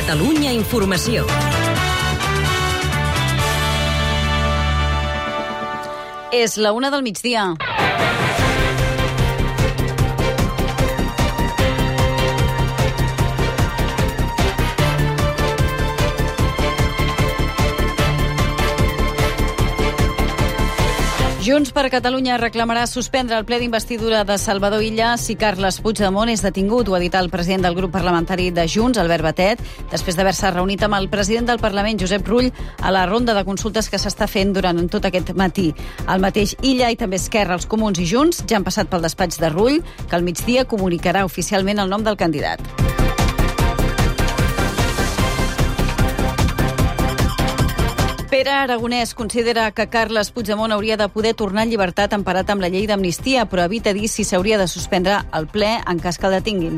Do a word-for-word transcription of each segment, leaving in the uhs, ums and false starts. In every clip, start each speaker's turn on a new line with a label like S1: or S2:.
S1: Catalunya Informació.
S2: És la una del migdia. Junts per Catalunya reclamarà suspendre el ple d'investidura de Salvador Illa si Carles Puigdemont és detingut. Ho ha dit el president del grup parlamentari de Junts, Albert Batet, després d'haver-se reunit amb el president del Parlament, Josep Rull, a la ronda de consultes que s'està fent durant tot aquest matí. El mateix Illa i també Esquerra, els Comuns i Junts ja han passat pel despatx de Rull, que al migdia comunicarà oficialment el nom del candidat. Pere Aragonès considera que Carles Puigdemont hauria de poder tornar en llibertat emparat amb la llei d'amnistia, però evita dir si s'hauria de suspendre el ple en cas que el detinguin.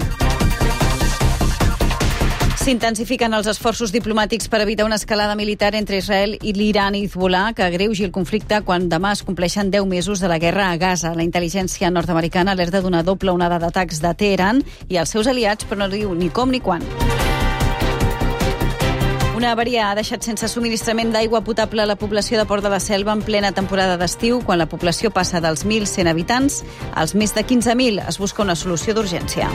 S2: S'intensifiquen els esforços diplomàtics per evitar una escalada militar entre Israel i l'Iran i Hezbollah que agreugi el conflicte quan demà es compleixen deu mesos de la guerra a Gaza. La intel·ligència nord-americana alerta d'una doble onada d'atacs de Teheran i els seus aliats, però no diu ni com ni quan. Una avaria ha deixat sense subministrament d'aigua potable a la població de Port de la Selva en plena temporada d'estiu, quan la població passa dels mil cent habitants als més de quinze mil. Es busca una solució d'urgència.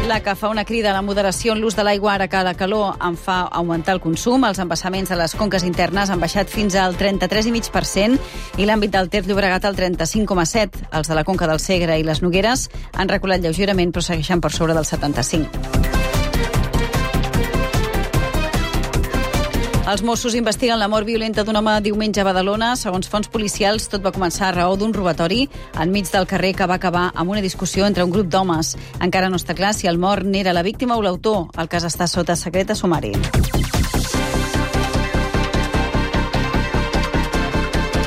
S2: L'A C A fa una crida a la moderació en l'ús de l'aigua ara que la calor en fa augmentar el consum. Els embassaments de les conques internes han baixat fins al trenta-tres coma cinc per cent i l'àmbit del Ter Llobregat al trenta-cinc coma set. Els de la conca del Segre i les Nogueres han reculat lleugerament, però segueixen per sobre del setanta-cinc. Els Mossos investiguen la mort violenta d'un home diumenge a Badalona. Segons fonts policials, tot va començar a raó d'un robatori enmig del carrer que va acabar amb una discussió entre un grup d'homes. Encara no està clar si el mort n'era la víctima o l'autor. El cas està sota secret de sumari.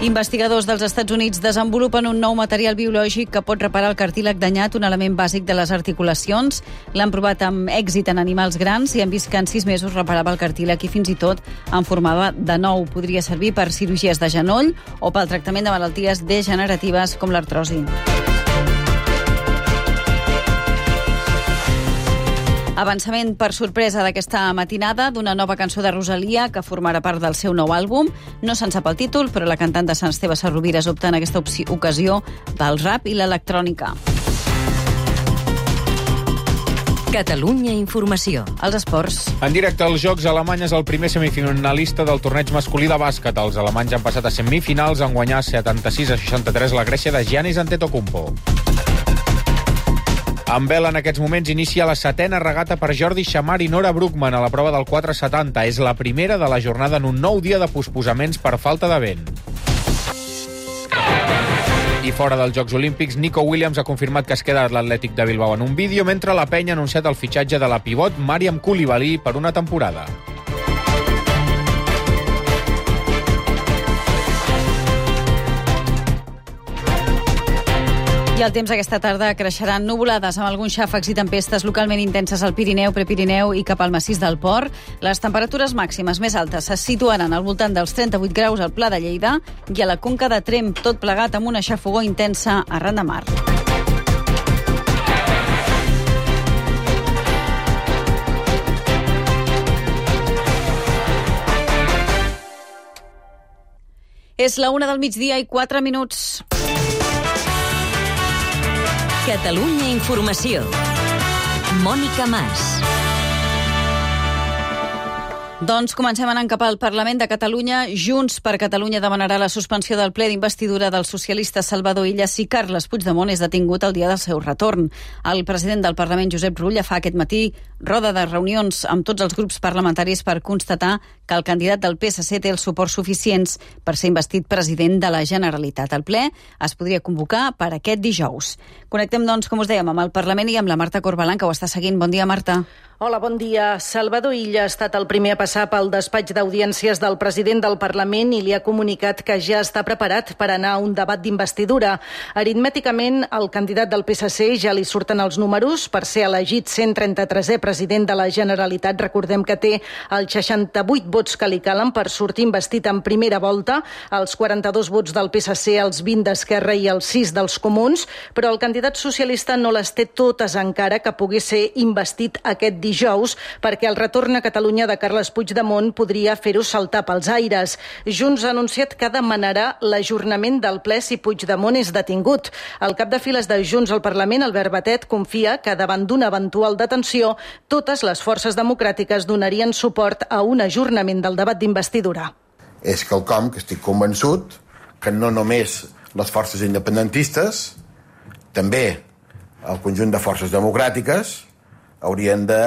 S2: Investigadors dels Estats Units desenvolupen un nou material biològic que pot reparar el cartílag danyat, un element bàsic de les articulacions. L'han provat amb èxit en animals grans i han vist que en sis mesos reparava el cartílag i fins i tot en formava de nou. Podria servir per cirurgies de genoll o pel tractament de malalties degeneratives com l'artrosi. Avançament per sorpresa d'aquesta matinada d'una nova cançó de Rosalia que formarà part del seu nou àlbum. No se'n sap el títol, però la cantant de Sant Esteve Sesrovires opta en aquesta ocasió pel rap i l'electrònica.
S1: Catalunya Informació.
S2: Els esports.
S3: En directe als Jocs, Alemanya és el primer semifinalista del torneig masculí de bàsquet. Els alemanys han passat a semifinals en guanyar setanta-sis a seixanta-tres la Grècia de Giannis Antetokounmpo. En vela, en aquests moments, inicia la setena regata per Jordi Xamar i Nora Brookman a la prova del quatre setanta. És la primera de la jornada en un nou dia de posposaments per falta de vent. I fora dels Jocs Olímpics, Nico Williams ha confirmat que es queda a l'Atlètic de Bilbao en un vídeo, mentre la penya ha anunciat el fitxatge de la pivot Mariam Koulibaly per una temporada.
S2: I el temps aquesta tarda creixeran nuvolades amb alguns xàfecs i tempestes localment intenses al Pirineu, Prepirineu i cap al massís del Port. Les temperatures màximes més altes se situaran al voltant dels trenta-vuit graus al Pla de Lleida i a la Conca de Tremp, tot plegat amb una xafogor intensa arran de mar. És la una del migdia i quatre minuts.
S1: Catalunya Informació. Mònica Mas.
S2: Doncs comencem anant cap al Parlament de Catalunya. Junts per Catalunya demanarà la suspensió del ple d'investidura del socialista Salvador Illa si Carles Puigdemont és detingut el dia del seu retorn. El president del Parlament, Josep Rull, fa aquest matí roda de reunions amb tots els grups parlamentaris per constatar que el candidat del P S C té els suports suficients per ser investit president de la Generalitat. El ple es podria convocar per aquest dijous. Connectem, doncs, com us dèiem, amb el Parlament i amb la Marta Corbalan, que ho està seguint. Bon dia, Marta.
S4: Hola, bon dia. Salvador Illa ha estat el primer a passar pel despatx d'audiències del president del Parlament i li ha comunicat que ja està preparat per anar a un debat d'investidura. Aritmèticament, al candidat del P S C ja li surten els números per ser elegit cent trenta-tresè president de la Generalitat. Recordem que té els seixanta-vuit vots que li calen per sortir investit en primera volta, els quaranta-dos vots del P S C, els vint d'Esquerra i els sis dels Comuns, però el candidat socialista no les té totes encara que pugui ser investit aquest dijous, perquè el retorn a Catalunya de Carles Puigdemont podria fer-ho saltar pels aires. Junts ha anunciat que demanarà l'ajornament del ple si Puigdemont és detingut. El cap de files de Junts al Parlament, Albert Batet, confia que davant d'una eventual detenció, totes les forces democràtiques donarien suport a un ajornament del debat d'investidura.
S5: És quelcom que estic convençut que no només les forces independentistes, també el conjunt de forces democràtiques haurien de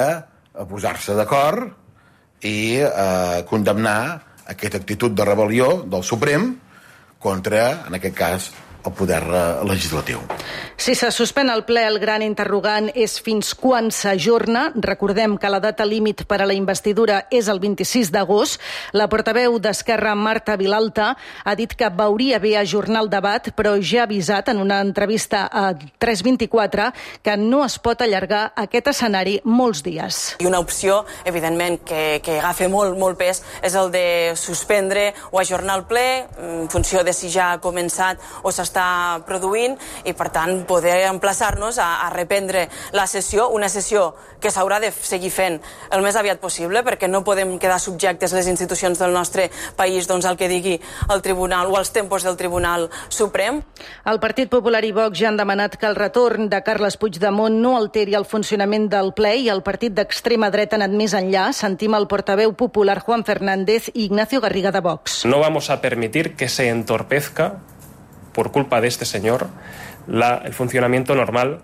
S5: posar-se d'acord i eh, condemnar aquesta actitud de rebel·lió del Suprem contra, en aquest cas, el poder legislatiu.
S4: Si se suspèn el ple, el gran interrogant és fins quan s'ajorna. Recordem que la data límit per a la investidura és el vint-i-sis d'agost. La portaveu d'Esquerra, Marta Vilalta, ha dit que veuria bé ajornar el debat, però ja ha avisat en una entrevista a tres vint-i-quatre que no es pot allargar aquest escenari molts dies.
S6: I una opció, evidentment, que, que agafa molt, molt pes és el de suspendre o ajornar el ple en funció de si ja ha començat o s'està produint i, per tant, poder emplaçar-nos a, a reprendre la sessió, una sessió que s'haurà de seguir fent el més aviat possible, perquè no podem quedar subjectes les institucions del nostre país doncs, al que digui el Tribunal o als tempos del Tribunal Suprem.
S4: El Partit Popular i Vox ja han demanat que el retorn de Carles Puigdemont no alteri el funcionament del ple i el partit d'extrema dreta ha anat més enllà. Sentim el portaveu popular Juan Fernández i Ignacio Garriga de Vox.
S7: No vamos a permitir que se entorpezca por culpa de este señor, la, el funcionamiento normal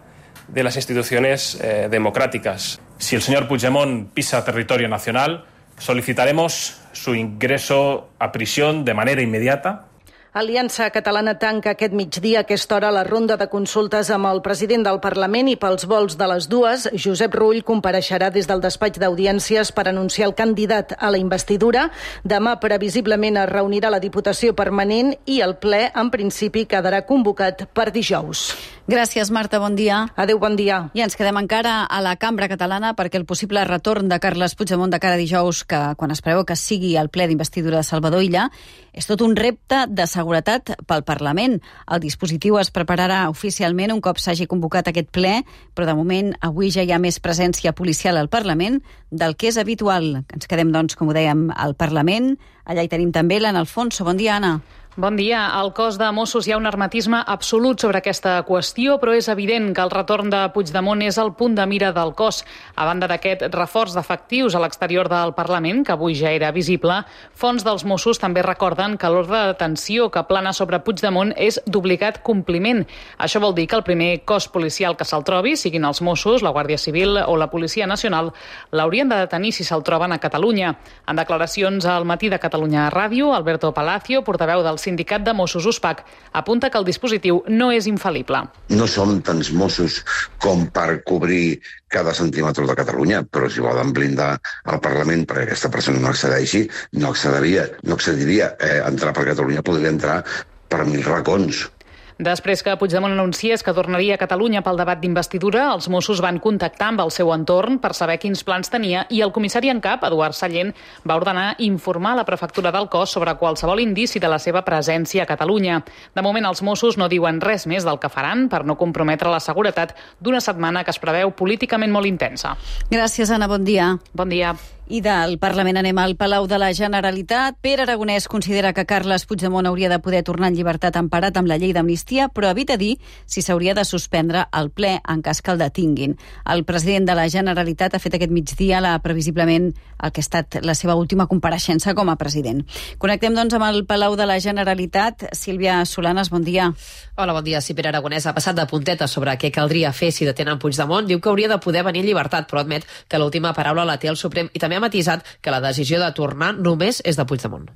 S7: de las instituciones eh, democráticas.
S8: Si el señor Puigdemont pisa territorio nacional, solicitaremos su ingreso a prisión de manera inmediata.
S4: Aliança Catalana tanca aquest migdia a aquesta hora la ronda de consultes amb el president del Parlament i pels vols de les dues, Josep Rull compareixerà des del despatx d'audiències per anunciar el candidat a la investidura. Demà, previsiblement, es reunirà la Diputació Permanent i el ple, en principi, quedarà convocat per dijous.
S2: Gràcies, Marta, bon dia.
S4: Adéu, bon dia.
S2: I ens quedem encara a la cambra catalana perquè el possible retorn de Carles Puigdemont de cara a dijous, que quan es preveu que sigui el ple d'investidura de Salvador Illa, és tot un repte de seguretat pel Parlament. El dispositiu es prepararà oficialment un cop s'hagi convocat aquest ple, però de moment avui ja hi ha més presència policial al Parlament del que és habitual. Ens quedem, doncs, com ho dèiem, al Parlament. Allà hi tenim també l'Anna Alfonso. Bon dia, Anna.
S9: Bon dia. Al cos de Mossos hi ha un hermetisme absolut sobre aquesta qüestió, però és evident que el retorn de Puigdemont és el punt de mira del cos. A banda d'aquest reforç d'efectius a l'exterior del Parlament, que avui ja era visible, fonts dels Mossos també recorden que l'ordre de detenció que plana sobre Puigdemont és d'obligat compliment. Això vol dir que el primer cos policial que se'l trobi, siguin els Mossos, la Guàrdia Civil o la Policia Nacional, l'haurien de detenir si se'l troben a Catalunya. En declaracions al Matí de Catalunya Ràdio, Alberto Palacio, portaveu del Sindicat de Mossos USPAC, apunta que el dispositiu no és infal·lible.
S10: No som tants Mossos com per cobrir cada centímetre de Catalunya, però si volen blindar el Parlament perquè aquesta persona no accedeixi, no accediria, no accediria. Eh, entrar per Catalunya podria entrar per mil racons.
S9: Després que Puigdemont anunciés que tornaria a Catalunya pel debat d'investidura, els Mossos van contactar amb el seu entorn per saber quins plans tenia i el comissari en cap, Eduard Sallent, va ordenar informar la prefectura del cos sobre qualsevol indici de la seva presència a Catalunya. De moment, els Mossos no diuen res més del que faran per no comprometre la seguretat d'una setmana que es preveu políticament molt intensa.
S2: Gràcies, Anna. Bon dia.
S9: Bon dia.
S2: I del Parlament anem al Palau de la Generalitat. Pere Aragonès considera que Carles Puigdemont hauria de poder tornar en llibertat emparat amb la llei d'amnistia, però evita dir si s'hauria de suspendre el ple en cas que el detinguin. El president de la Generalitat ha fet aquest migdia la, previsiblement el que ha estat la seva última compareixença com a president. Connectem, doncs, amb el Palau de la Generalitat. Sílvia Solanes, bon dia.
S11: Hola, bon dia. Sí, Pere Aragonès ha passat de punteta sobre què caldria fer si detenen Puigdemont. Diu que hauria de poder venir en llibertat, però admet que l'última paraula la té el Suprem i també ha matisat que la decisió de tornar només és de Puigdemont.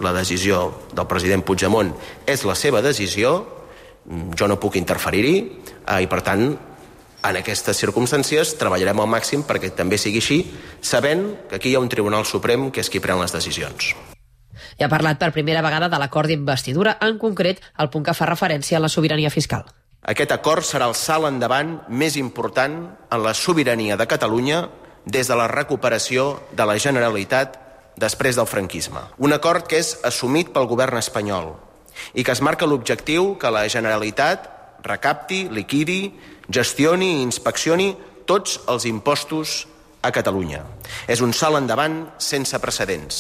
S12: La decisió del president Puigdemont és la seva decisió, jo no puc interferir-hi i, per tant, En aquestes circumstàncies treballarem al màxim perquè també sigui així, sabent que aquí hi ha un Tribunal Suprem que és qui pren les decisions.
S11: I ha parlat per primera vegada de l'acord d'investidura, en concret el punt que fa referència a la sobirania fiscal.
S12: Aquest acord serà el salt endavant més important en la sobirania de Catalunya des de la recuperació de la Generalitat després del franquisme. Un acord que és assumit pel govern espanyol i que es marca l'objectiu que la Generalitat recapti, liquidi, gestioni i inspeccioni tots els impostos a Catalunya. És un salt endavant sense precedents.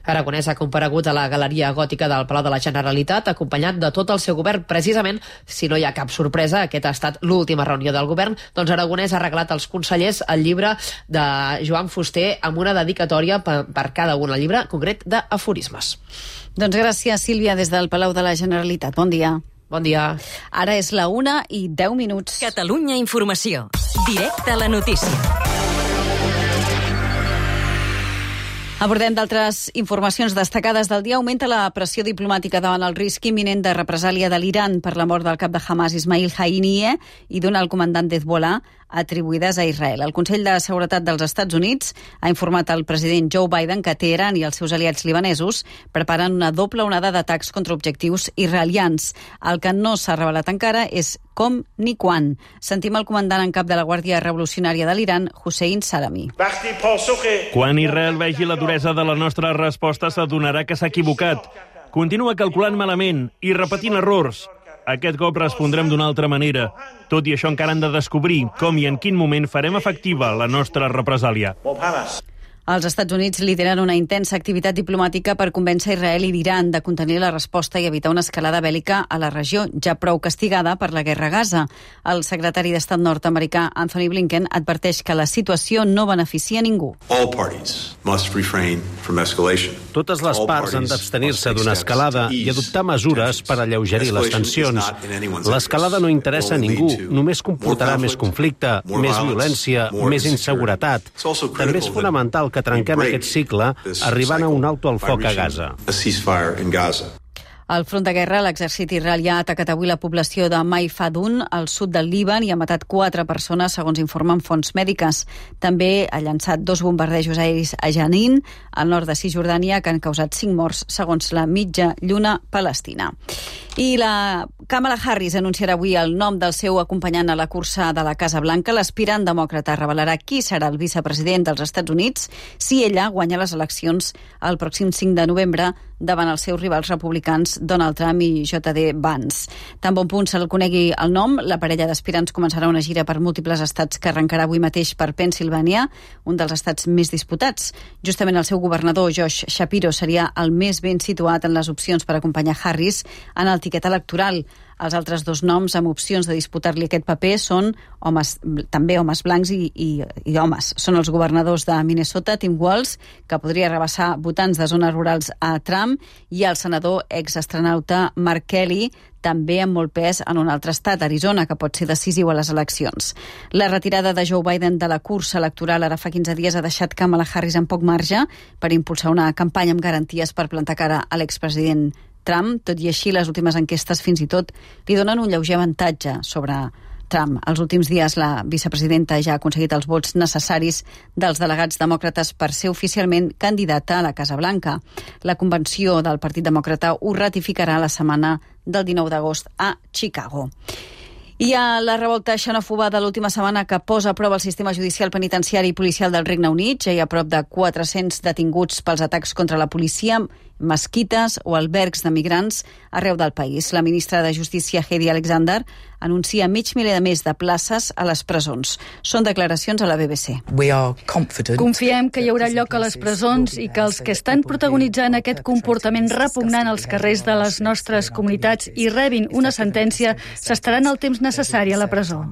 S11: Aragonès ha comparegut a la Galeria Gòtica del Palau de la Generalitat, acompanyat de tot el seu govern. Precisament, si no hi ha cap sorpresa, aquest ha estat l'última reunió del govern, doncs Aragonès ha regalat als consellers el llibre de Joan Fuster amb una dedicatòria per, per cada un, el llibre concret d'aforismes.
S2: Doncs gràcies, Sílvia, des del Palau de la Generalitat. Bon dia.
S11: Bon dia.
S2: Ara és la una i deu minuts.
S1: Catalunya Informació. Directe a la notícia.
S2: Abordem d'altres informacions destacades del dia. Augmenta la pressió diplomàtica davant el risc imminent de represàlia de l'Iran per la mort del cap de Hamas, Ismail Haniyeh, i d'un alt comandant d'Hezbollah, atribuïdes a Israel. El Consell de Seguretat dels Estats Units ha informat al president Joe Biden que Teheran i els seus aliats libanesos preparen una doble onada d'atacs contra objectius israelians. El que no s'ha revelat encara és com ni quan. Sentim el comandant en cap de la Guàrdia Revolucionària de l'Iran, Hossein Salami.
S13: Quan Israel vegi la duresa de la nostra resposta, s'adonarà que s'ha equivocat. Continua calculant malament i repetint errors. Aquest cop respondrem d'una altra manera. Tot i això, encara han de descobrir com i en quin moment farem efectiva la nostra represàlia.
S2: Els Estats Units lideren una intensa activitat diplomàtica per convèncer Israel i l'Iran de contenir la resposta i evitar una escalada bèl·lica a la regió, ja prou castigada per la guerra a Gaza. El secretari d'Estat nord-americà Anthony Blinken adverteix que la situació no beneficia a ningú.
S14: Totes les parts han d'abstenir-se d'una escalada i adoptar mesures per alleugerir les tensions. L'escalada no interessa a ningú, només comportarà més conflicte, més violència, més inseguretat. També és fonamental que trenquem aquest cicle arribant a un alto al foc a Gaza.
S2: Al front de guerra, l'exèrcit israelià ha atacat avui la població de Maifadun, al sud del Líban, i ha matat quatre persones, segons informen fonts mèdiques. També ha llançat dos bombardejos aeris a Janin, al nord de Cisjordània, que han causat cinc morts, segons la mitja lluna palestina. I la Kamala Harris anunciarà avui el nom del seu acompanyant a la cursa de la Casa Blanca. L'aspirant demòcrata revelarà qui serà el vicepresident dels Estats Units si ella guanya les eleccions el pròxim cinc de novembre davant els seus rivals republicans Donald Trump i J D Vance. Tan bon punt se'l conegui el nom, la parella d'aspirants començarà una gira per múltiples estats que arrencarà avui mateix per Pennsilvània, un dels estats més disputats. Justament el seu governador, Josh Shapiro, seria el més ben situat en les opcions per acompanyar Harris en el tiquet electoral. Els altres dos noms amb opcions de disputar-li aquest paper són homes, també homes blancs i, i, i homes. Són els governadors de Minnesota, Tim Walz, que podria rebassar votants de zones rurals a Trump, i el senador exastronauta Mark Kelly, també amb molt pes en un altre estat, Arizona, que pot ser decisiu a les eleccions. La retirada de Joe Biden de la cursa electoral ara fa quinze dies ha deixat Kamala Harris amb poc marge per impulsar una campanya amb garanties per plantar cara a l'expresident Trump. Tot i així, les últimes enquestes fins i tot li donen un lleuger avantatge sobre Trump. Els últims dies la vicepresidenta ja ha aconseguit els vots necessaris dels delegats demòcrates per ser oficialment candidata a la Casa Blanca. La convenció del Partit Demòcrata ho ratificarà la setmana del dinou d'agost a Chicago. Hi ha la revolta xenòfoba de l'última setmana que posa a prova el sistema judicial, penitenciari i policial del Regne Unit. Ja hi ha prop de quatre-cents detinguts pels atacs contra la policia, mesquites o albergs de migrants arreu del país. La ministra de Justícia, Heidi Alexander, anuncia mig miler de més de places a les presons. Són declaracions a la B B C.
S15: Confiem que hi haurà lloc a les presons i que els que estan protagonitzant aquest comportament repugnant als carrers de les nostres comunitats i rebin una sentència s'estaran el temps necessari a la presó.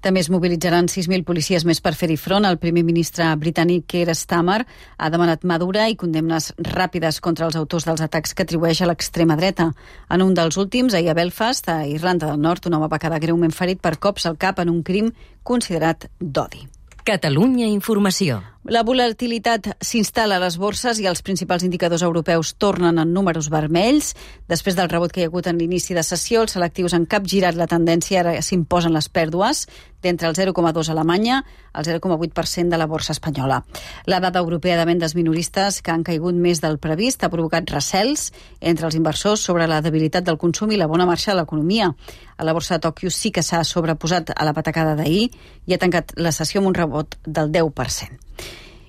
S2: També es mobilitzaran sis mil policies més per fer-hi front. El primer ministre britànic Keir Starmer ha demanat mà dura i condemnes ràpides contra els autors dels atacs que atribueix a l'extrema dreta. En un dels últims, ahir a Belfast, a Irlanda del Nord, un home va quedar greument ferit per cops al cap en un crim considerat d'odi.
S1: Catalunya Informació.
S2: La volatilitat s'instal·la a les borses i els principals indicadors europeus tornen en números vermells. Després del rebot que hi ha hagut en l'inici de sessió, els selectius han capgirat la tendència, ara s'imposen les pèrdues, d'entre el zero coma dos a Alemanya al zero coma vuit per cent de la borsa espanyola. La dada europea de vendes minoristes, que han caigut més del previst, ha provocat recels entre els inversors sobre la debilitat del consum i la bona marxa de l'economia. A la borsa de Tòquio sí que s'ha sobreposat a la patacada d'ahir i ha tancat la sessió amb un rebot del deu per cent.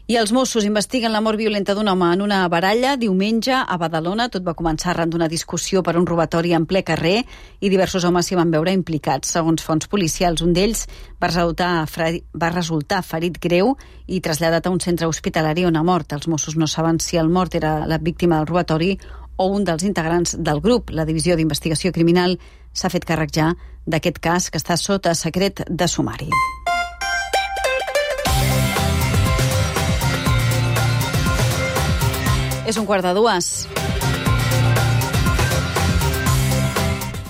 S2: I els Mossos investiguen la mort violenta d'un home en una baralla diumenge a Badalona. Tot va començar arran d'una discussió per un robatori en ple carrer i diversos homes s'hi van veure implicats. Segons fonts policials, un d'ells va resultar, va resultar ferit greu i traslladat a un centre hospitalari on ha mort. Els Mossos no saben si el mort era la víctima del robatori o un dels integrants del grup. La Divisió d'Investigació Criminal s'ha fet càrrec ja d'aquest cas, que està sota secret de sumari. És un quart de dues.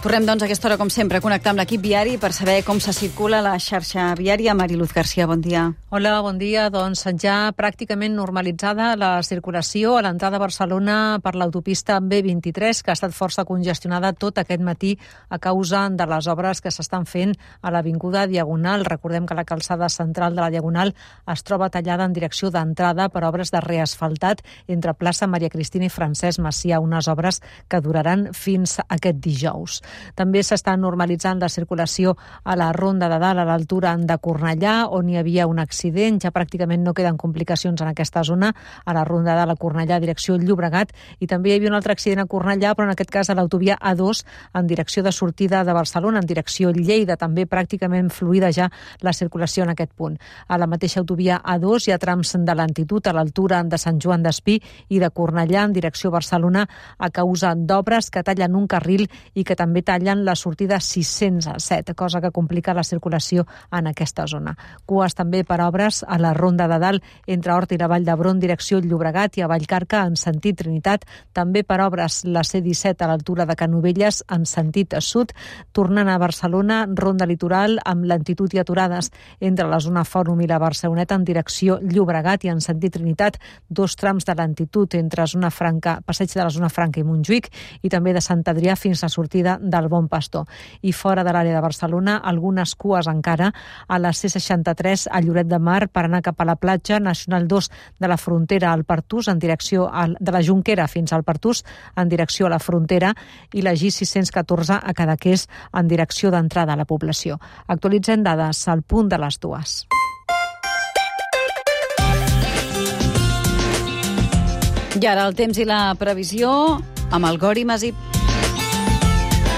S2: Tornem, doncs, a aquesta hora, com sempre, a connectar amb l'equip viari per saber com se circula la xarxa viària. Mariluz García, bon dia.
S16: Hola, bon dia. Doncs ja pràcticament normalitzada la circulació a l'entrada a Barcelona per l'autopista B vint-i-tres, que ha estat força congestionada tot aquest matí a causa de les obres que s'estan fent a l'Avinguda Diagonal. Recordem que la calçada central de la Diagonal es troba tallada en direcció d'entrada per obres de reasfaltat entre plaça Maria Cristina i Francesc Macià, unes obres que duraran fins aquest dijous. També s'està normalitzant la circulació a la Ronda de Dalt, a l'altura de Cornellà, on hi havia un accident. Ja pràcticament no queden complicacions en aquesta zona, a la Ronda de Dalt a Cornellà, direcció Llobregat, i també hi havia un altre accident a Cornellà, però en aquest cas a l'autovia A dos, en direcció de sortida de Barcelona, en direcció Lleida, també pràcticament fluida ja la circulació en aquest punt. A la mateixa autovia A dos hi ha trams de lentitud a l'altura de Sant Joan d'Espí i de Cornellà, en direcció Barcelona, a causa d'obres que tallen un carril i que també tallen la sortida sis-cents set, cosa que complica la circulació en aquesta zona. Cues també per obres a la Ronda de Dalt entre Horta i la Vall d'Hebron, direcció Llobregat, i a Vallcarca en sentit Trinitat, també per obres la C disset a l'altura de Canovelles en sentit sud, tornant a Barcelona, Ronda Litoral amb lentitud i aturades entre la zona Fòrum i la Barceloneta en direcció Llobregat i en sentit Trinitat, dos trams de lentitud entre zona Franca, passeig de la zona Franca i Montjuïc, i també de Sant Adrià fins a sortida del Bon Pastor. I fora de l'àrea de Barcelona, algunes cues encara a la C seixanta-tres a Lloret de Mar per anar cap a la platja, Nacional dos de la Frontera al Pertús en direcció al, de la Jonquera fins al Pertús en direcció a la frontera, i la G sis-cents catorze a Cadaqués en direcció d'entrada a la població. Actualitzem dades al punt de les dues.
S2: I ara el temps i la previsió amb el Gori Masip.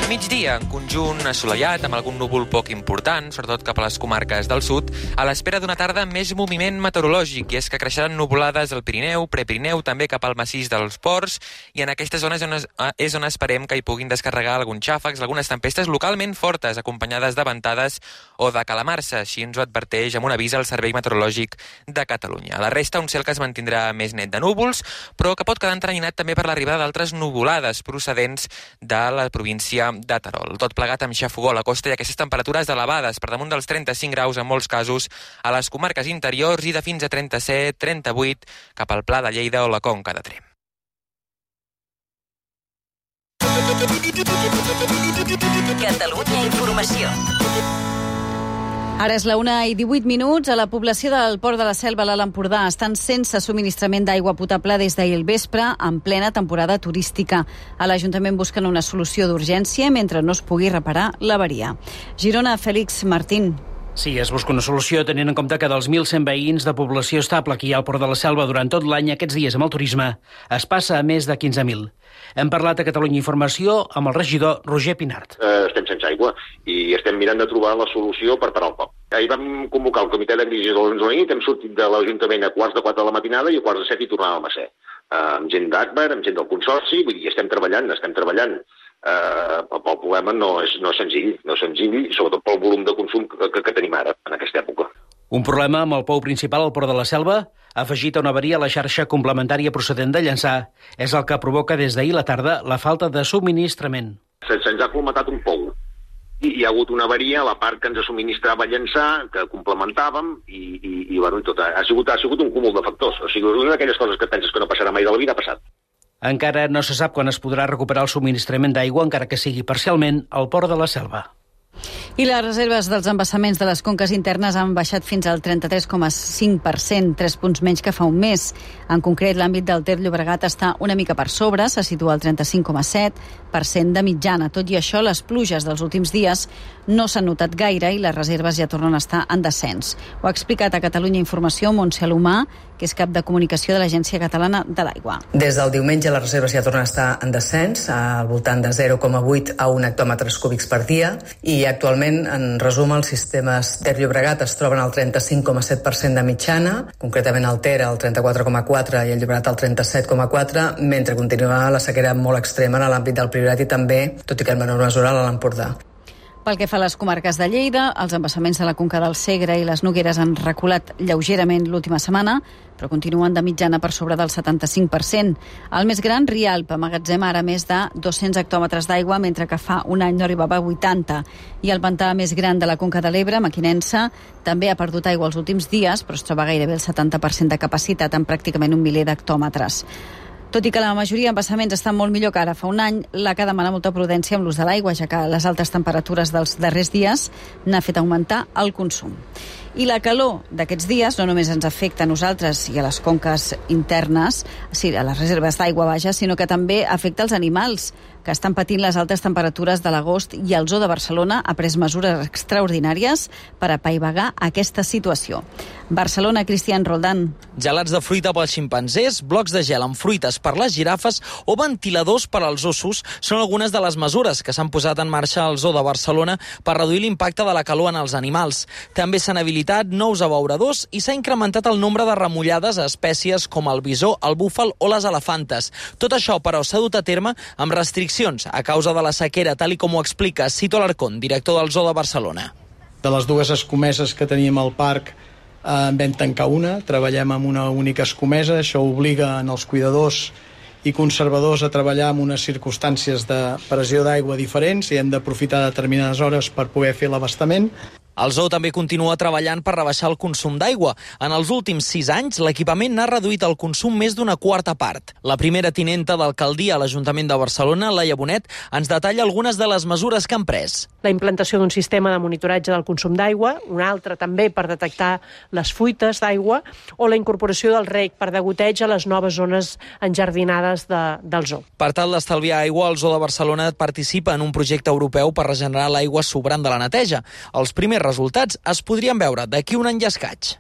S17: Migdia, en conjunt assolellat, amb algun núvol poc important, sobretot cap a les comarques del sud, a l'espera d'una tarda amb més moviment meteorològic, i és que creixeran nuvolades al Pirineu, Prepirineu, també cap al massís dels Ports, i en aquestes zones és on esperem que hi puguin descarregar alguns xàfecs, algunes tempestes localment fortes, acompanyades de ventades o de calamarsa. Així ens ho adverteix amb un avís al Servei Meteorològic de Catalunya. A la resta, un cel que es mantindrà més net de núvols, però que pot quedar entranyinat també per l'arribada d'altres nuvolades procedents de la província de Terol. Tot plegat amb xafogó a la costa i aquestes temperatures elevades per damunt dels trenta-cinc graus en molts casos a les comarques interiors i de fins a trenta-set trenta-vuit cap al Pla de Lleida o la Conca de Tremp.
S1: Catalunya Informació.
S2: Ara és la una i divuit minuts. A la població del Port de la Selva, a l'Alt Empordà, estan sense subministrament d'aigua potable des d'ahir al vespre, en plena temporada turística. A l'Ajuntament busquen una solució d'urgència mentre no es pugui reparar l'averia. Girona, Fèlix Martín.
S18: Sí, es busca una solució tenint en compte que dels mil cent veïns de població estable aquí al Port de la Selva durant tot l'any, aquests dies amb el turisme es passa a més de quinze mil. Hem parlat a Catalunya Informació amb el regidor Roger Pinart.
S19: Eh, estem sense aigua i estem mirant de trobar la solució per parar el cop. Ahir vam convocar el comitè de crisi de l'onze de la nit, hem sortit de l'Ajuntament a quarts de quatre de la matinada i a quarts de set hi tornàvem a ser. Eh, amb gent d'Agbar, amb gent del Consorci, vull dir, estem treballant, estem treballant. Eh, el problema no és, no és senzill, no és senzill, sobretot pel volum de consum que, que, que tenim ara, en aquesta època.
S18: Un problema amb el pou principal al Port de la Selva, afegit a una avaria a la xarxa complementària procedent de Llançà, és el que provoca des d'ahir la tarda la falta de subministrament.
S19: Se'ns ha colmatat un pou i hi ha hagut una avaria a la part que ens subministrava llançar, que complementàvem, i, i, i bueno, tot ha, ha, sigut, ha sigut un cúmul de factors. O sigui, una d'aquelles coses que penses que no passarà mai de la vida ha passat.
S18: Encara no se sap quan es podrà recuperar el subministrament d'aigua, encara que sigui parcialment, al Port de la Selva.
S2: I les reserves dels embassaments de les conques internes han baixat fins al trenta-tres coma cinc per cent, tres punts menys que fa un mes. En concret, l'àmbit del Ter Llobregat està una mica per sobre, se situa al trenta-cinc coma set per cent de mitjana. Tot i això, les pluges dels últims dies no s'han notat gaire i les reserves ja tornen a estar en descens. Ho ha explicat a Catalunya Informació Montse Alomà, que és cap de comunicació de l'Agència Catalana de l'Aigua.
S20: Des del diumenge les reserves ja tornen a estar en descens, al voltant de zero coma vuit a un hectòmetres cúbics per dia, i actualment, en resum, els sistemes Ter Llobregat es troben al trenta-cinc coma set per cent de mitjana, concretament el Ter al trenta-quatre coma quatre i el Llobregat al trenta-set coma quatre, mentre continua la sequera molt extrema en l'àmbit del Priorat i també, tot i que en menor mesura, a l'Empordà.
S2: Pel que fa a les comarques de Lleida, els embassaments de la Conca del Segre i les Nogueres han reculat lleugerament l'última setmana, però continuen de mitjana per sobre del setanta-cinc per cent. El més gran, Rialp, emmagatzema ara més de dos-cents hectòmetres d'aigua, mentre que fa un any no arribava a vuitanta. I el pantà més gran de la Conca de l'Ebre, Mequinensa, també ha perdut aigua els últims dies, però es troba gairebé el setanta per cent de capacitat en pràcticament un miler d'hectòmetres. Tot i que la majoria d'embassaments estan molt millor que ara fa un any, l'A C A demana molta prudència amb l'ús de l'aigua, ja que les altes temperatures dels darrers dies n'ha fet augmentar el consum. I la calor d'aquests dies no només ens afecta a nosaltres i a les conques internes, sí, a les reserves d'aigua, vaja, sinó que també afecta els animals, que estan patint les altes temperatures de l'agost, i el Zoo de Barcelona ha pres mesures extraordinàries per apaivagar aquesta situació. Barcelona, Cristian Roldán.
S21: Gelats de fruita pels ximpanzés, blocs de gel amb fruites per les girafes o ventiladors per als ossos són algunes de les mesures que s'han posat en marxa al Zoo de Barcelona per reduir l'impacte de la calor en els animals. També s'han habilitat nous abeuradors i s'ha incrementat el nombre de remullades a espècies com el bisó, el búfal o les elefantes. Tot això, però, s'ha dut a terme amb restriccions a causa de la sequera, tal i com ho explica Cito Alarcón, director del Zoo de Barcelona.
S22: De les dues escomeses que teníem al parc, en vam tancar una, treballem amb una única escomesa, això obliga els cuidadors i conservadors a treballar en unes circumstàncies de pressió d'aigua diferents i hem d'aprofitar determinades hores per poder fer l'abastament.
S21: El zoo també continua treballant per rebaixar el consum d'aigua. En els últims sis anys, l'equipament n'ha reduït el consum més d'una quarta part. La primera tinenta d'alcaldia a l'Ajuntament de Barcelona, Laia Bonet, ens detalla algunes de les mesures que han pres.
S23: La implantació d'un sistema de monitoratge del consum d'aigua, un altre també per detectar les fuites d'aigua, o la incorporació del rec per degoteig a les noves zones enjardinades de, del zoo.
S21: Per tal d'estalviar aigua, el Zoo de Barcelona participa en un projecte europeu per regenerar l'aigua sobrant de la neteja. Els primers resultats es podrien veure d'aquí un any i escaig.